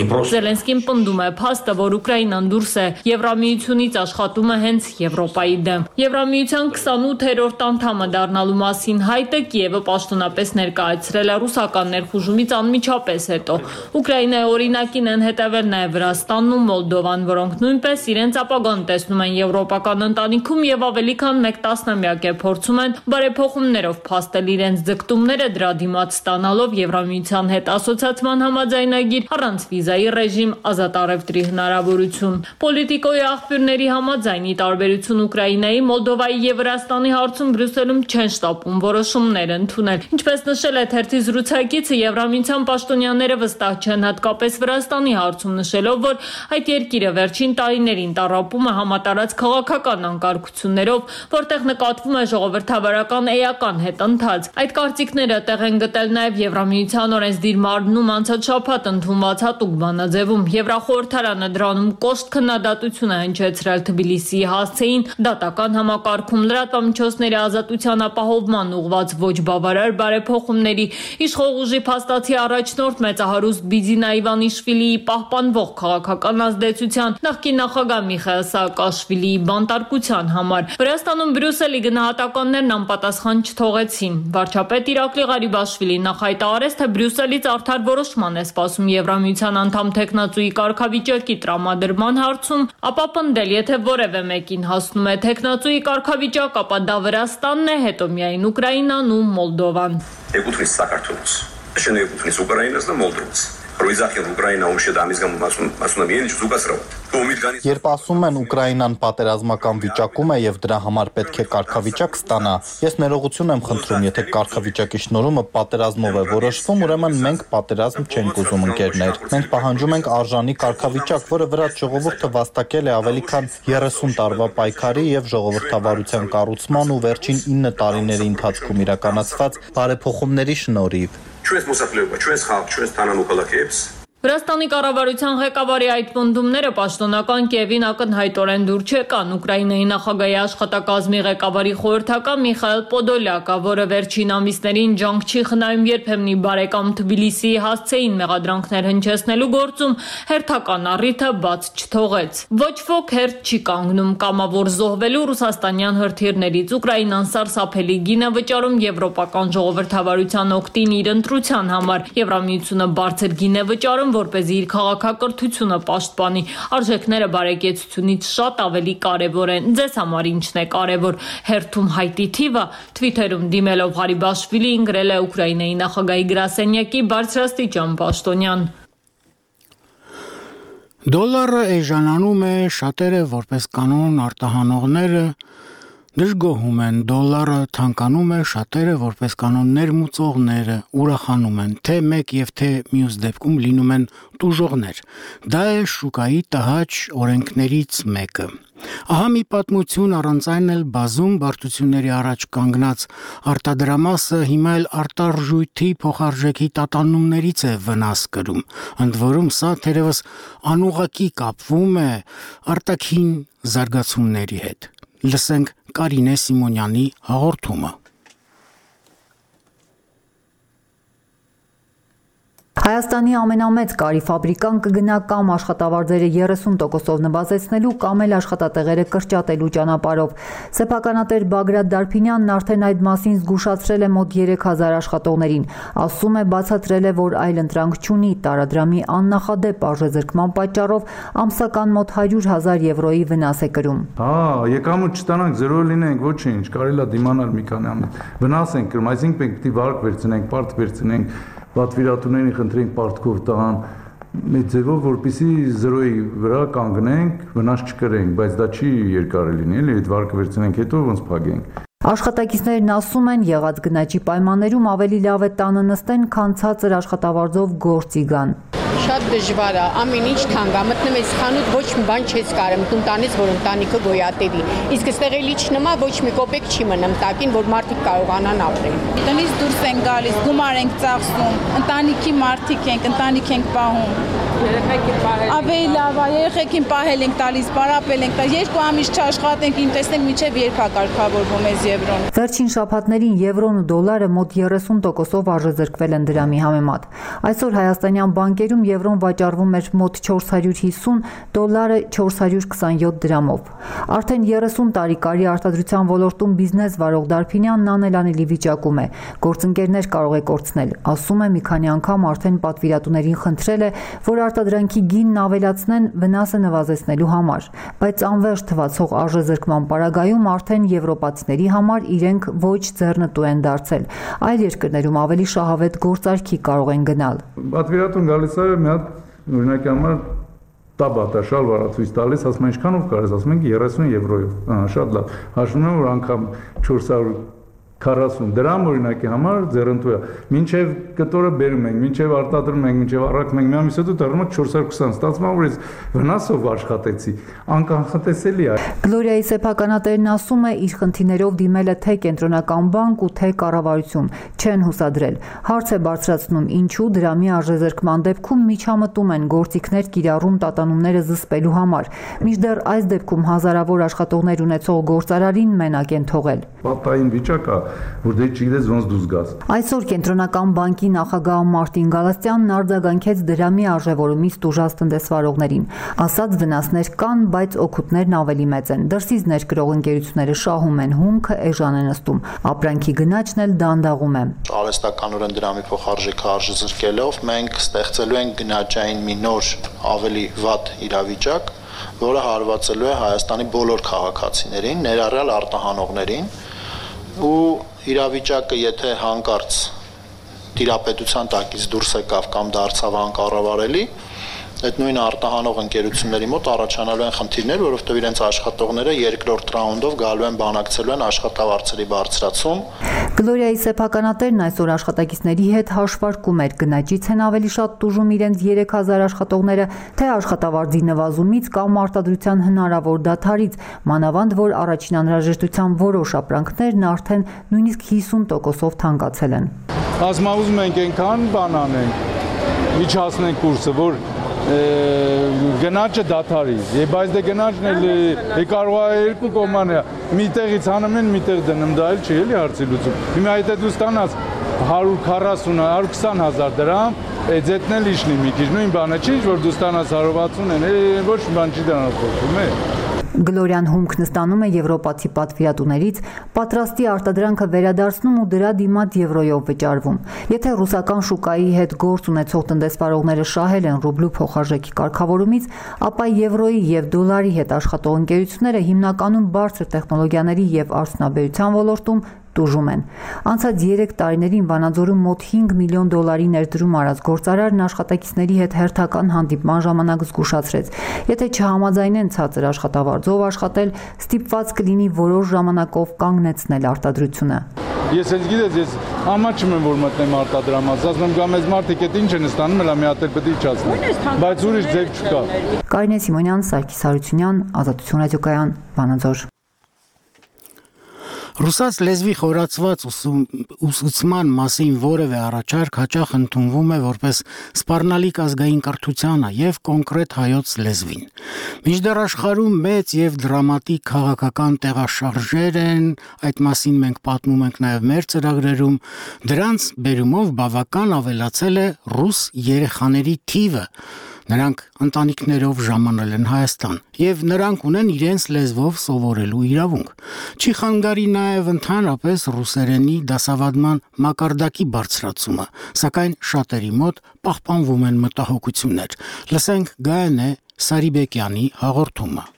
Զելենսկին պնդում է փաստը, որ Ուկրաինան դուրս է Եվրամիությունից աշխատում է հենց Եվրոպայի դեմ։ Եվրամիության 28-րդ անդամը դառնալու մասին հայտը Կիևը պաշտոնապես ներկայացրել է ռուսական ներխուժումից անմիջապես հետո։ Ուկրաինայի օրինակին են հետևել նաև Վրաստանն ու Մոլդովան, որոնք նույնպես իրենց ապագան տեսնում են եվրոպական ընտանիքում եւ ավելի քան 1 տասնամյակ է փորձում են բարեփոխումներով փաստել իրենց ձգտումները դրա դիմաց ստանալով Եվրամիության հետ ասոցիացման համաձայնագիր առանց վիզայի ռեժիմ, ազատ առևտրի հնարավորություն։ Պոլիտիկոյի աղբյուրների համաձայն, ի տարբերություն Ուկրաինայի, Մոլդովայի եւ Վրաստանի հարցում Բրյուսելում չեն շտապում որոշումներ ընդունել։ Ինչպես նշել է թերթի զրուցակիցը, Եվրամիության պաշտոնյաները վստահ չեն հատկապես Վրաստանի հարցում, նշելով, որ այդ երկիրը վերջին տարիներին տառապում է համատարած քաղաքական անկարգություններով, որտեղ նկատվում է ժողովրդավարական էական հետընթաց։ Այդ կարծիքները տեղ են գտել նաև Եվրամիության օրենսդիր մարմնում անցած շաբաթ ընդունված հատուկ բանաձևում։ Եվրախորհրդարանը դրանում կոշտ քննադատություն է հնչեցրել Թբիլիսիի հասցեին դատական համակարգում լրատվամիջոցների ազատության ապահովման ուղղված ոչ բավարար բարեփոխումների, իշխող ուժի փաստացի առաջնորդ մեծահարուստ Բիձինա Իվանիշվիլիի պահպանվող քաղաքական ազդեցության, նախկին նախագահ Միխայիլ Սաակաշվիլիի բանտարկության համար։ Վրաստանում Բրյուսելի գնահատականներն անպատասխան չթողեցին։ Վարչապետ Իրակլի Ղարիբաշվիլին նախայտարարեց, թե Բրյուսելից արդար որոշման է սպասում Եվրամիության անդամ թեկնածուի կարգավիճակի տրամադրման հարցում, ապա պնդել, եթե որևէ մեկին հասնում է թեկնածուի կարգավիճակ, ապա դա Վրաստանն է, հետո միայն Ուկրաինան ու Մոլդովան։ Եկუთունից Սակարթունից, շնորհիվ եկუთունից Ուկրաինան ու Մոլդովից։ Երբ ասում են Ուկրաինան պատերազմական վիճակում է եւ դրա համար պետք է կարգավիճակ ստանա, ես ներողություն եմ խնդրում, եթե կարգավիճակի շնորհումը պատերազմով է որոշվում, ուրեմն մենք պատերազմ չենք ուզում, ընկերներ։ Մենք պահանջում ենք արժանի կարգավիճակ, որը վրաց ժողովուրդը վաստակել է ավելի քան 30 տարվա պայքարի եւ ժողովրդավարության կառուցման ու վերջին 9 տարիների ընթացքում իրականացված բարեփոխումների շնորհիվ։ Վրաստանի կառավարության ղեկավարի այդ պնդումները պաշտոնական Կիևին ակնհայտորեն դուր չեկան։ Ուկրաինայի նախագահի աշխատակազմի ղեկավարի խորհրդական Միխայել Պոդոլյակը, որը վերջին ամիսներին ջանք չի խնայում երբեմնի բարեկամ Թբիլիսիի հասցեին մեղադրանքներ հնչեցնելու գործում, հերթական առիթը բաց չթողեց։ Ոչ ոք հերթ չի կանգնում կամավոր զոհվելու ռուսաստանյան հրթիռներից։ Ուկրաինան սարսափելի գին է վճարում եվրոպական ժողովրդավարության օգտին իր ընտրության համար։ Եվրամիությունը բարձր գին է վճարում, որպեսզի իր քաղաքակրթությունը պաշտպանի։ Արժեքները բարեկեցությունից շատ ավելի կարևոր են։ Ձեզ համար ինչն է կարևոր։ Հերթում հայտի թիվը Twitter-ում դիմելով Ղարիբաշվիլին գրել է Ուկրաինայի նախագահի գրասենյակի բարձրաստիճան պաշտոնյան։ Դոլարը էժանանում է, շատերը որպես կանոն արտահանողները դժգոհում են, դոլարը թանկանում է, շատերը որպես կանոն ներմուծողները ուրախանում են, թե մեկ եւ թե մյուս դեպքում լինում են տուժողներ։ Դա է շուկայի տհաճ օրենքներից մեկը։ Ահա մի պատմություն, առանց այն էլ բազում բարդությունների առաջ կանգնած արտադրամասը հիմա էլ արտարժույթի փոխարժեքի տատանումներից է վնաս կրում։ Ընդ որում սա թերևս անուղղակի կապվում է արտաքին զարգացումների հետ։ Լսենք Կարինե Սիմոնյանի հաղորդումը։ Հայաստանի ամենամեծ կարի ֆաբրիկան կգնա կամ աշխատավարձերը 30%-ով նվազեցնելու կամ էլ աշխատատեղերը կրճատելու ճանապարհով։ Սեփականատեր Բագրատ Դարփինյանն արդեն այդ մասին զգուշացրել է մոտ 3000 աշխատողներին։ Ասում է, բացատրել է, որ այլ ընտրանք չունի, տարադրամի աննախադեպ արժեզրկման պատճառով ամսական մոտ 100,000 եվրոյի վնաս է կրում։ Եկամուտ չստանանք, զրո լինենք, ոչինչ, կարելի է դիմանալ մի քանի ամիս։ Վնաս ենք կրում, այսինքն պետք է վարկ վերցնենք, պարտ վերցնենք, պատվիրատուներին խնդրենք պարտքով տան մի ձևով, որպեսզի զրոյի վրա կանգնենք, վնաս չկրենք, բայց դա չի երկար լինի, էլի այդ վարկը վերցնենք հետո ոնց փակենք։ Աշխատակիցներն ասում են, եղած գնաճի պայմաններում ավելի լավ է տանը նստեն, քան ցածր աշխատավարձով գործի գան։ Շատ դժվար է, ամեն ինչ թանկ է, մտնում ես խանութ, ոչ մի բան չես կարում, տանից, որ ընտանիքը գոյատևի։ Իսկ այստեղ էլի չնամա, ոչ մի կոպեկ չի մնում տակին, որ մարդիկ կարողանան ապրել։ Տնից դուրս ենք գալիս, գումար ենք ծախսում, ընտանիքի մարդիկ ենք, ընտանիք ենք պահում։ Երեխեքին պահել։ Ավելի լավ է, երեխեքին պահել ենք տալիս, պարապել ենք, 2 ամիս չաշխատենք, ինչ տեսնենք մինչև երբ է կարգավորվում այս եվրոն։ Վերջին շաբաթներին եվրոն ու դոլարը մոտ 30%-ով արժեզրկվել են դրամի համեմատ։ Այսօր հայաստանյան բանկերում եվրոն վաճառվում էր մոտ 450, դոլարը 427 դրամով։ Արդեն 30 տարի կարի արտադրության ոլորտում բիզնես վարող Դարփինյանն անելանելի վիճակում է։ Գործընկերներ կարող է կորցնել։ Ասում է, մի քանի անգամ արդեն պատվիրատուներին խնդրել է, որ արտադրանքի գինն ավելացնեն վնասը նվազեցնելու համար, բայց անվերջ թվացող արժեզրկման պարագայում արդեն եվրոպացիների համար իրենք ոչ ձեռնտու են դարձել։ Այլ երկրներում ավելի շահավետ գործարքի կարող են գնալ։ Պատվիրատուն գալիս է մի հատ օրինակի համար տաբատա շալվարա ցույց տալիս, ասում են ինչքանով կարես, ասում ենք 30 եվրոյով։ Շատ լավ։ Հաշվում եմ, որ անգամ 440 դրամ օրինակի համար ձեռնտու է։ Մինչև կտորը բերում ենք, մինչև արտադրում ենք, մինչև առաքում ենք, մի ամիս հետո դառնում է 420, ստացվում է, որ ես վնասով աշխատեցի, անկանխատեսելի է։ Գլորիայի սեփականատերն ասում է, իր խնդիրներով դիմել է թե կենտրոնական բանկ ու թե կառավարություն, չեն հուսադրել։ Հարց է բարձրացնում, ինչու դրամի արժեզրկման դեպքում միջամտում են գործիքներ կիրառում տատանումները զսպելու համար։ Մինչդեռ այս դեպքում հազարավոր աշխատողներ ունեցող գործարարին մենակ են թողել։ Պատային վիճակ է, որ դե չգիտես ոնց դուրս գաս։ Այսօր կենտրոնական բանկի նախագահ Մարտին Գալաստյանն արձագանքեց դրամի արժևորումից տուժած տնտեսվարողներին։ Ասաց վնասներ կան, բայց օգուտներն ավելի մեծ են։ Դրսից ներկրող ընկերությունները շահում են, հումքը էժան է նստում։ Ապրանքի գնաճն էլ դանդաղում է։ Արհեստականորեն դրամի փոխարժեքը արժեզրկելով մենք ստեղծելու ենք գնաճային մի նոր ավելի վատ իրավիճակ, որը հարվածելու է Հայաստանի բոլոր քաղաքացիներին, ներառյալ արտահանողներին, ու իրավիճակը եթե հանկարծ տիրապետության տակից դուրս եկավ կամ դարձավ անկառավարելի, այդ նույն արտահանող ընկերությունների մոտ առաջանալու են խնդիրներ, որովհետև իրենց աշխատողները երկրորդ ռաունդով գալու են բանակցելու են աշխատավարձերի բարձրացում։ Գլորիայի սեփականատերն այսօր աշխատակիցների հետ հաշվարկում էր գնաճից են ավելի շատ տուժում իրենց 3000 աշխատողները, թե աշխատավարձի նվազումից կամ արտադրության հնարավոր դադարից, մանավանդ որ առաջին անհրաժեշտության որոշ ապրանքներն արդեն նույնիսկ 50%-ով թանկացել են։ Ասում ենք այնքան բան անենք, միջացնենք կուրսը, որ գնաճը դադարի։ Բայց դե գնաճն էլ կարող է երկու կողմանի է։ Միտեղից հանում են, միտեղ դնում, դա էլ չի էլի հարցի լուծում։ Հիմա եթե դու ստանաս 140-120 հազար դրամ, ձետն էլ իշնի մի քիչ, նույն բանը չի, որ դու ստանաս 160 են, ոչ մի բան չի դրանով փոխվում է։ Գլորյան հումքն ստանում է եվրոպացի պատվիրատուներից, պատրաստի արտադրանքը վերադարձնում ու դրա դիմաց եվրոյով վճարվում։ Եթե ռուսական շուկայի հետ գործ ունեցող տնտեսվարողները շահել են ռուբլու փոխարժեքի կարգավորումից, ապա եվրոյի եւ դոլարի հետ աշխատող ընկերությունները հիմնականում բարձր տեխնոլոգիաների եւ արդյունաբերության ոլորտում տուժում են։ Անցած 3 տարիներին Վանաձորում մոտ 5 միլիոն դոլարի ներդրում արած գործարարն աշխատակիցների հետ հերթական հանդիպման ժամանակ զգուշացրեց. Եթե չհամաձայնեն ցածր աշխատավարձով աշխատել, ստիպված կլինի որոշ ժամանակով կանգնեցնել արտադրությունը։ Ես էլ գիտես, ես ամաչում եմ, որ մտնեմ արտադրամաս, ասում եմ գամ ես մարդիկ այդ ինչ են ստանում, հələ մի հատ էլ պետք է իջացնեն։ Բայց ուրիշ ձև չկա։ Կարինե Սիմոնյան, Սարգիս Հարությունյան, Ազատություն ռադիոկայան, Վանաձոր։ Ռուսաց լեզվի խորացված ուսուցման մասին որևէ առաջարկ հաճախ ընդունվում է որպես սպառնալիք ազգային կրթությանը եւ կոնկրետ հայոց լեզվին։ Մինչդեռ աշխարհում մեծ եւ դրամատիկ քաղաքական տեղաշարժեր են, այդ մասին մենք պատմում ենք նաեւ մեր ծրագրերում, դրանց բերումով բավական ավելացել է ռուս երեխաների թիվը։ Նրանք ընտանիքներով ժամանել են Հայաստան եւ նրանք ունեն իրենց լեզվով սովորելու իրավունք։ Չի խանգարի նաեւ ընդհանրապես ռուսերենի դասավանդման մակարդակի բարձրացումը, սակայն շատերի մոտ պահպանվում են մտահոգություններ։ Լսենք Գայանե Սարիբեկյանի հաղորդումը։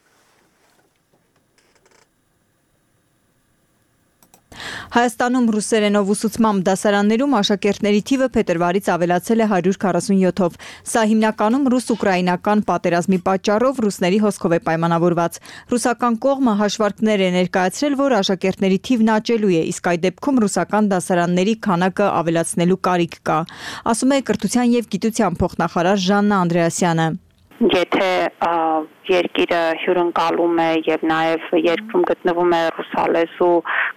Հայաստանում ռուսերենով ուսուցման դասարաններում աշակերտների թիվը փետրվարից ավելացել է 147-ով։ Սա հիմնականում ռուս-ուկրաինական պատերազմի պատճառով ռուսների հոսքով է պայմանավորված։ Ռուսական կողմը հաշվարկներ է ներկայացրել, որ աշակերտների թիվն աճելու է, իսկ այդ դեպքում ռուսական դասարանների քանակը ավելացնելու կարիք կա, ասում է Կրթության եւ գիտության փոխնախարար Ժաննա Անդրեասյանը։ Եթե երկիրը հյուրընկալում է եւ նաեւ երկրում գտնվում է ռուսալեզու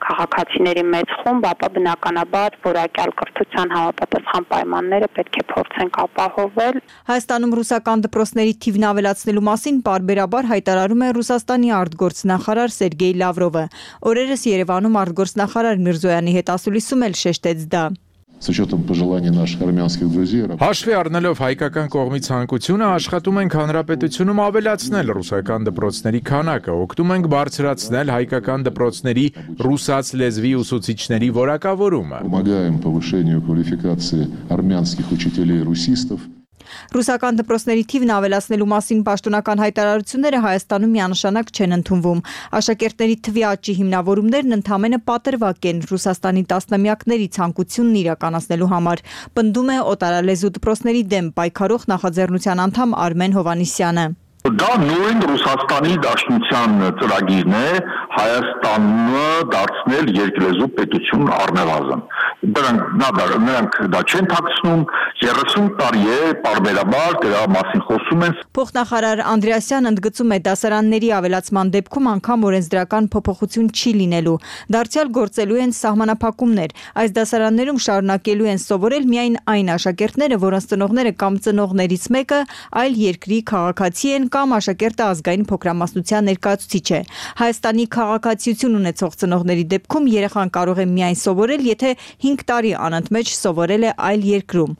քաղաքացիների մեծ խումբ, ապա բնականաբար որակյալ կրթության համապատասխան պայմանները պետք է փորձենք ապահովել։ Հայաստանում ռուսական դպրոցների թիվն ավելացնելու մասին պարբերաբար հայտարարում է Ռուսաստանի արտգործնախարար Սերգեյ Լավրովը։ Օրերս Երևանում արտգործնախարար Միրզոյանի հետ ասուլիսում էլ շեշտեց դա։ С учетом пожеланий наших армянских друзей. Հաշվի առնելով հայկական կողմի ցանկությունը աշխատում ենք հանրապետությունում ավելացնել ռուսական դպրոցների քանակը, օգնում ենք բարձրացնել հայկական դպրոցների ռուսաց լեզվի ուսուցիչների որակավորումը։ Помогаем повышению квалификации армянских учителей-русистов. Ռուսական դպրոցների թիվն ավելացնելու մասին պաշտոնական հայտարարությունները Հայաստանում միանշանակ չեն ընդունվում։ Աշակերտների թվի աճի հիմնավորումներն ընդհանրապես պատրվակ են Ռուսաստանի տասնամյակների ցանկությունն իրականացնելու համար, պնդում է օտարալեզու դպրոցների դեմ պայքարող նախաձեռնության անդամ Արմեն Հովանիսյանը։ Դա նույն Ռուսաստանի Դաշնության ծրագիրն է Հայաստանը դարձնել երկլեզու պետություն առնվազն։ Նրանք դա չեն թաքցնում, 30 տարի է պարբերաբար դրա մասին խոսում են։ Փոխնախարար Անդրեասյանը ընդգծում է դասարանների ավելացման դեպքում անգամ օրենսդրական փոփոխություն չի լինելու։ Դարձյալ գործելու են սահմանափակումներ։ Այս դասարաններում շարունակելու են սովորել միայն այն աշակերտները, որոնց ծնողները կամ ծնողներից մեկը այլ երկրի քաղաքացի են կամ աշակերտը ազգային փոքրամասնության ներկայացուցիչ է։ Հայաստանի քաղաքացիություն ունեցող ծնողների դեպքում երեխան կարող է միայն սովորել, եթե 5 տարի անընդմեջ սովորել է այլ երկրում։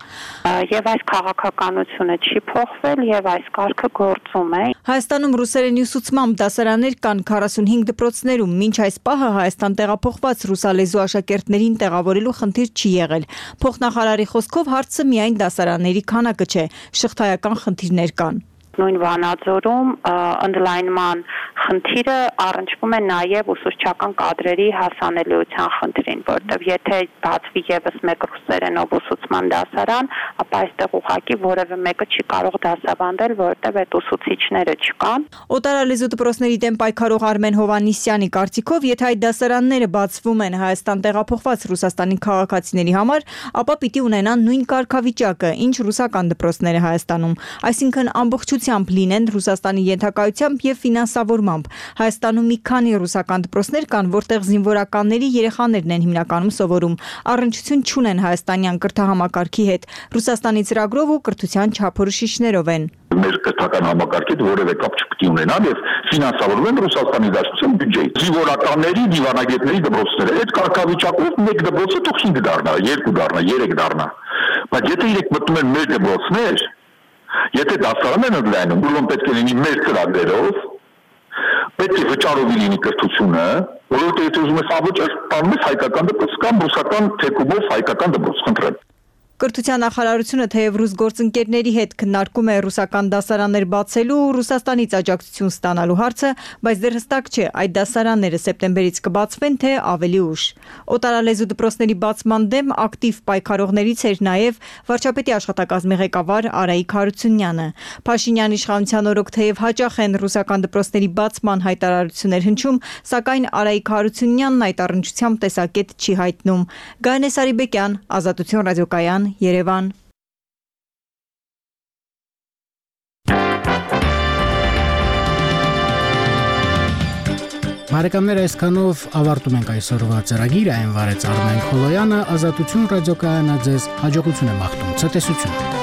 Եվ այս քաղաքականությունը չի փոխվել եւ այս կարգը գործում է։ Հայաստանում ռուսերենի ուսուցմամբ դասարաններ կան 45 դպրոցներում, մինչ այս պահը Հայաստան տեղափոխված ռուսալեզու աշակերտներին տեղավորելու խնդիր չի եղել։ Փոխնախարարի խոսքով հարցը միայն դասարանների քանակը չէ, շղթայական խնդիրներ կան։ Նույն Վանաձորում ընդլայնման խնդիրը առնչվում է նաև ուսուցչական կադրերի հասանելիության խնդրին, որտեղ եթե բացվի եւս մեկ ռուսերենով ուսուցման դասարան, ապա այստեղ ուղղակի որևէ մեկը չի կարող դասավանդել, որտեղ այդ ուսուցիչները չկան։ Օտարալեզու դպրոցների դեմ պայքարող Արմեն Հովանիսյանի կարծիքով, եթե այդ դասարանները բացվում են Հայաստան տեղափոխված Ռուսաստանի քաղաքացիների համար, ապա պիտի ունենան նույն կարգավիճակը, ինչ ռուսական դպրոցները Հայաստանում, այսինքն ամբողջությամբ լինեն Ռուսաստանի ենթակայությամբ եւ ֆինանսավորմամբ։ համեմատմամբ։ Հայաստանում մի քանի ռուսական դպրոցներ կան, որտեղ զինվորականների երեխաներն են հիմնականում սովորում։ Առնչություն չունեն հայաստանյան կրթահամակարգի հետ։ Ռուսաստանի ծրագրով ու կրթության չափորոշիչներով են։ Մեր կրթական համակարգի որևէ կապ չպետք է ունենան եւ ֆինանսավորվեն Ռուսաստանի Դաշնության բյուջեից։ Զինվորականների, դիվանագետների դպրոցները այդ կարգավիճակով մեկ դպրոցը թող 5 դառնա, 2 դառնա, 3 դառնա։ Բայց եթե իրենք մտնում են մեր դպրոցներ, եթե դասարան են ընդլայնում, ուրեմն պետք է լինի մեր ծրագրերով, պետք է վճարովի լինի կրթությունը, որովհետեւ եթե ուզում ես ավճար, տանում ես հայկական դպրոց կամ ռուսական թեկումով հայկական դպրոց, խնդրեմ։ Կրթության նախարարությունը թեև ռուս գործընկերների հետ քննարկում է ռուսական դասարաններ բացելու ու Ռուսաստանից աջակցություն ստանալու հարցը, բայց դեռ հստակ չէ այդ դասարանները սեպտեմբերից կբացվեն թե ավելի ուշ։ Օտարալեզու դպրոցների բացման դեմ ակտիվ պայքարողներից էր նաև վարչապետի աշխատակազմի ղեկավար Արայիկ Հարությունյանը։ Փաշինյան իշխանության օրոք թեև հաճախ են ռուսական դպրոցների բացման հայտարարություններ հնչում, սակայն Արայիկ Հարությունյանն այդ առնչությամբ տեսակետ չի հայտնում։ Գայանե Սարիբեկյան, Ազատություն ռադիոկայան, Երևան։ Բարեկամներ, այսքանով ավարտում ենք այսօրվա ծրագիրը, այն վարեց Արմեն Խոլոյանը, Ազատություն ռադիոկայանը ձեզ հաջողություն է մաղթում, ցտեսություն։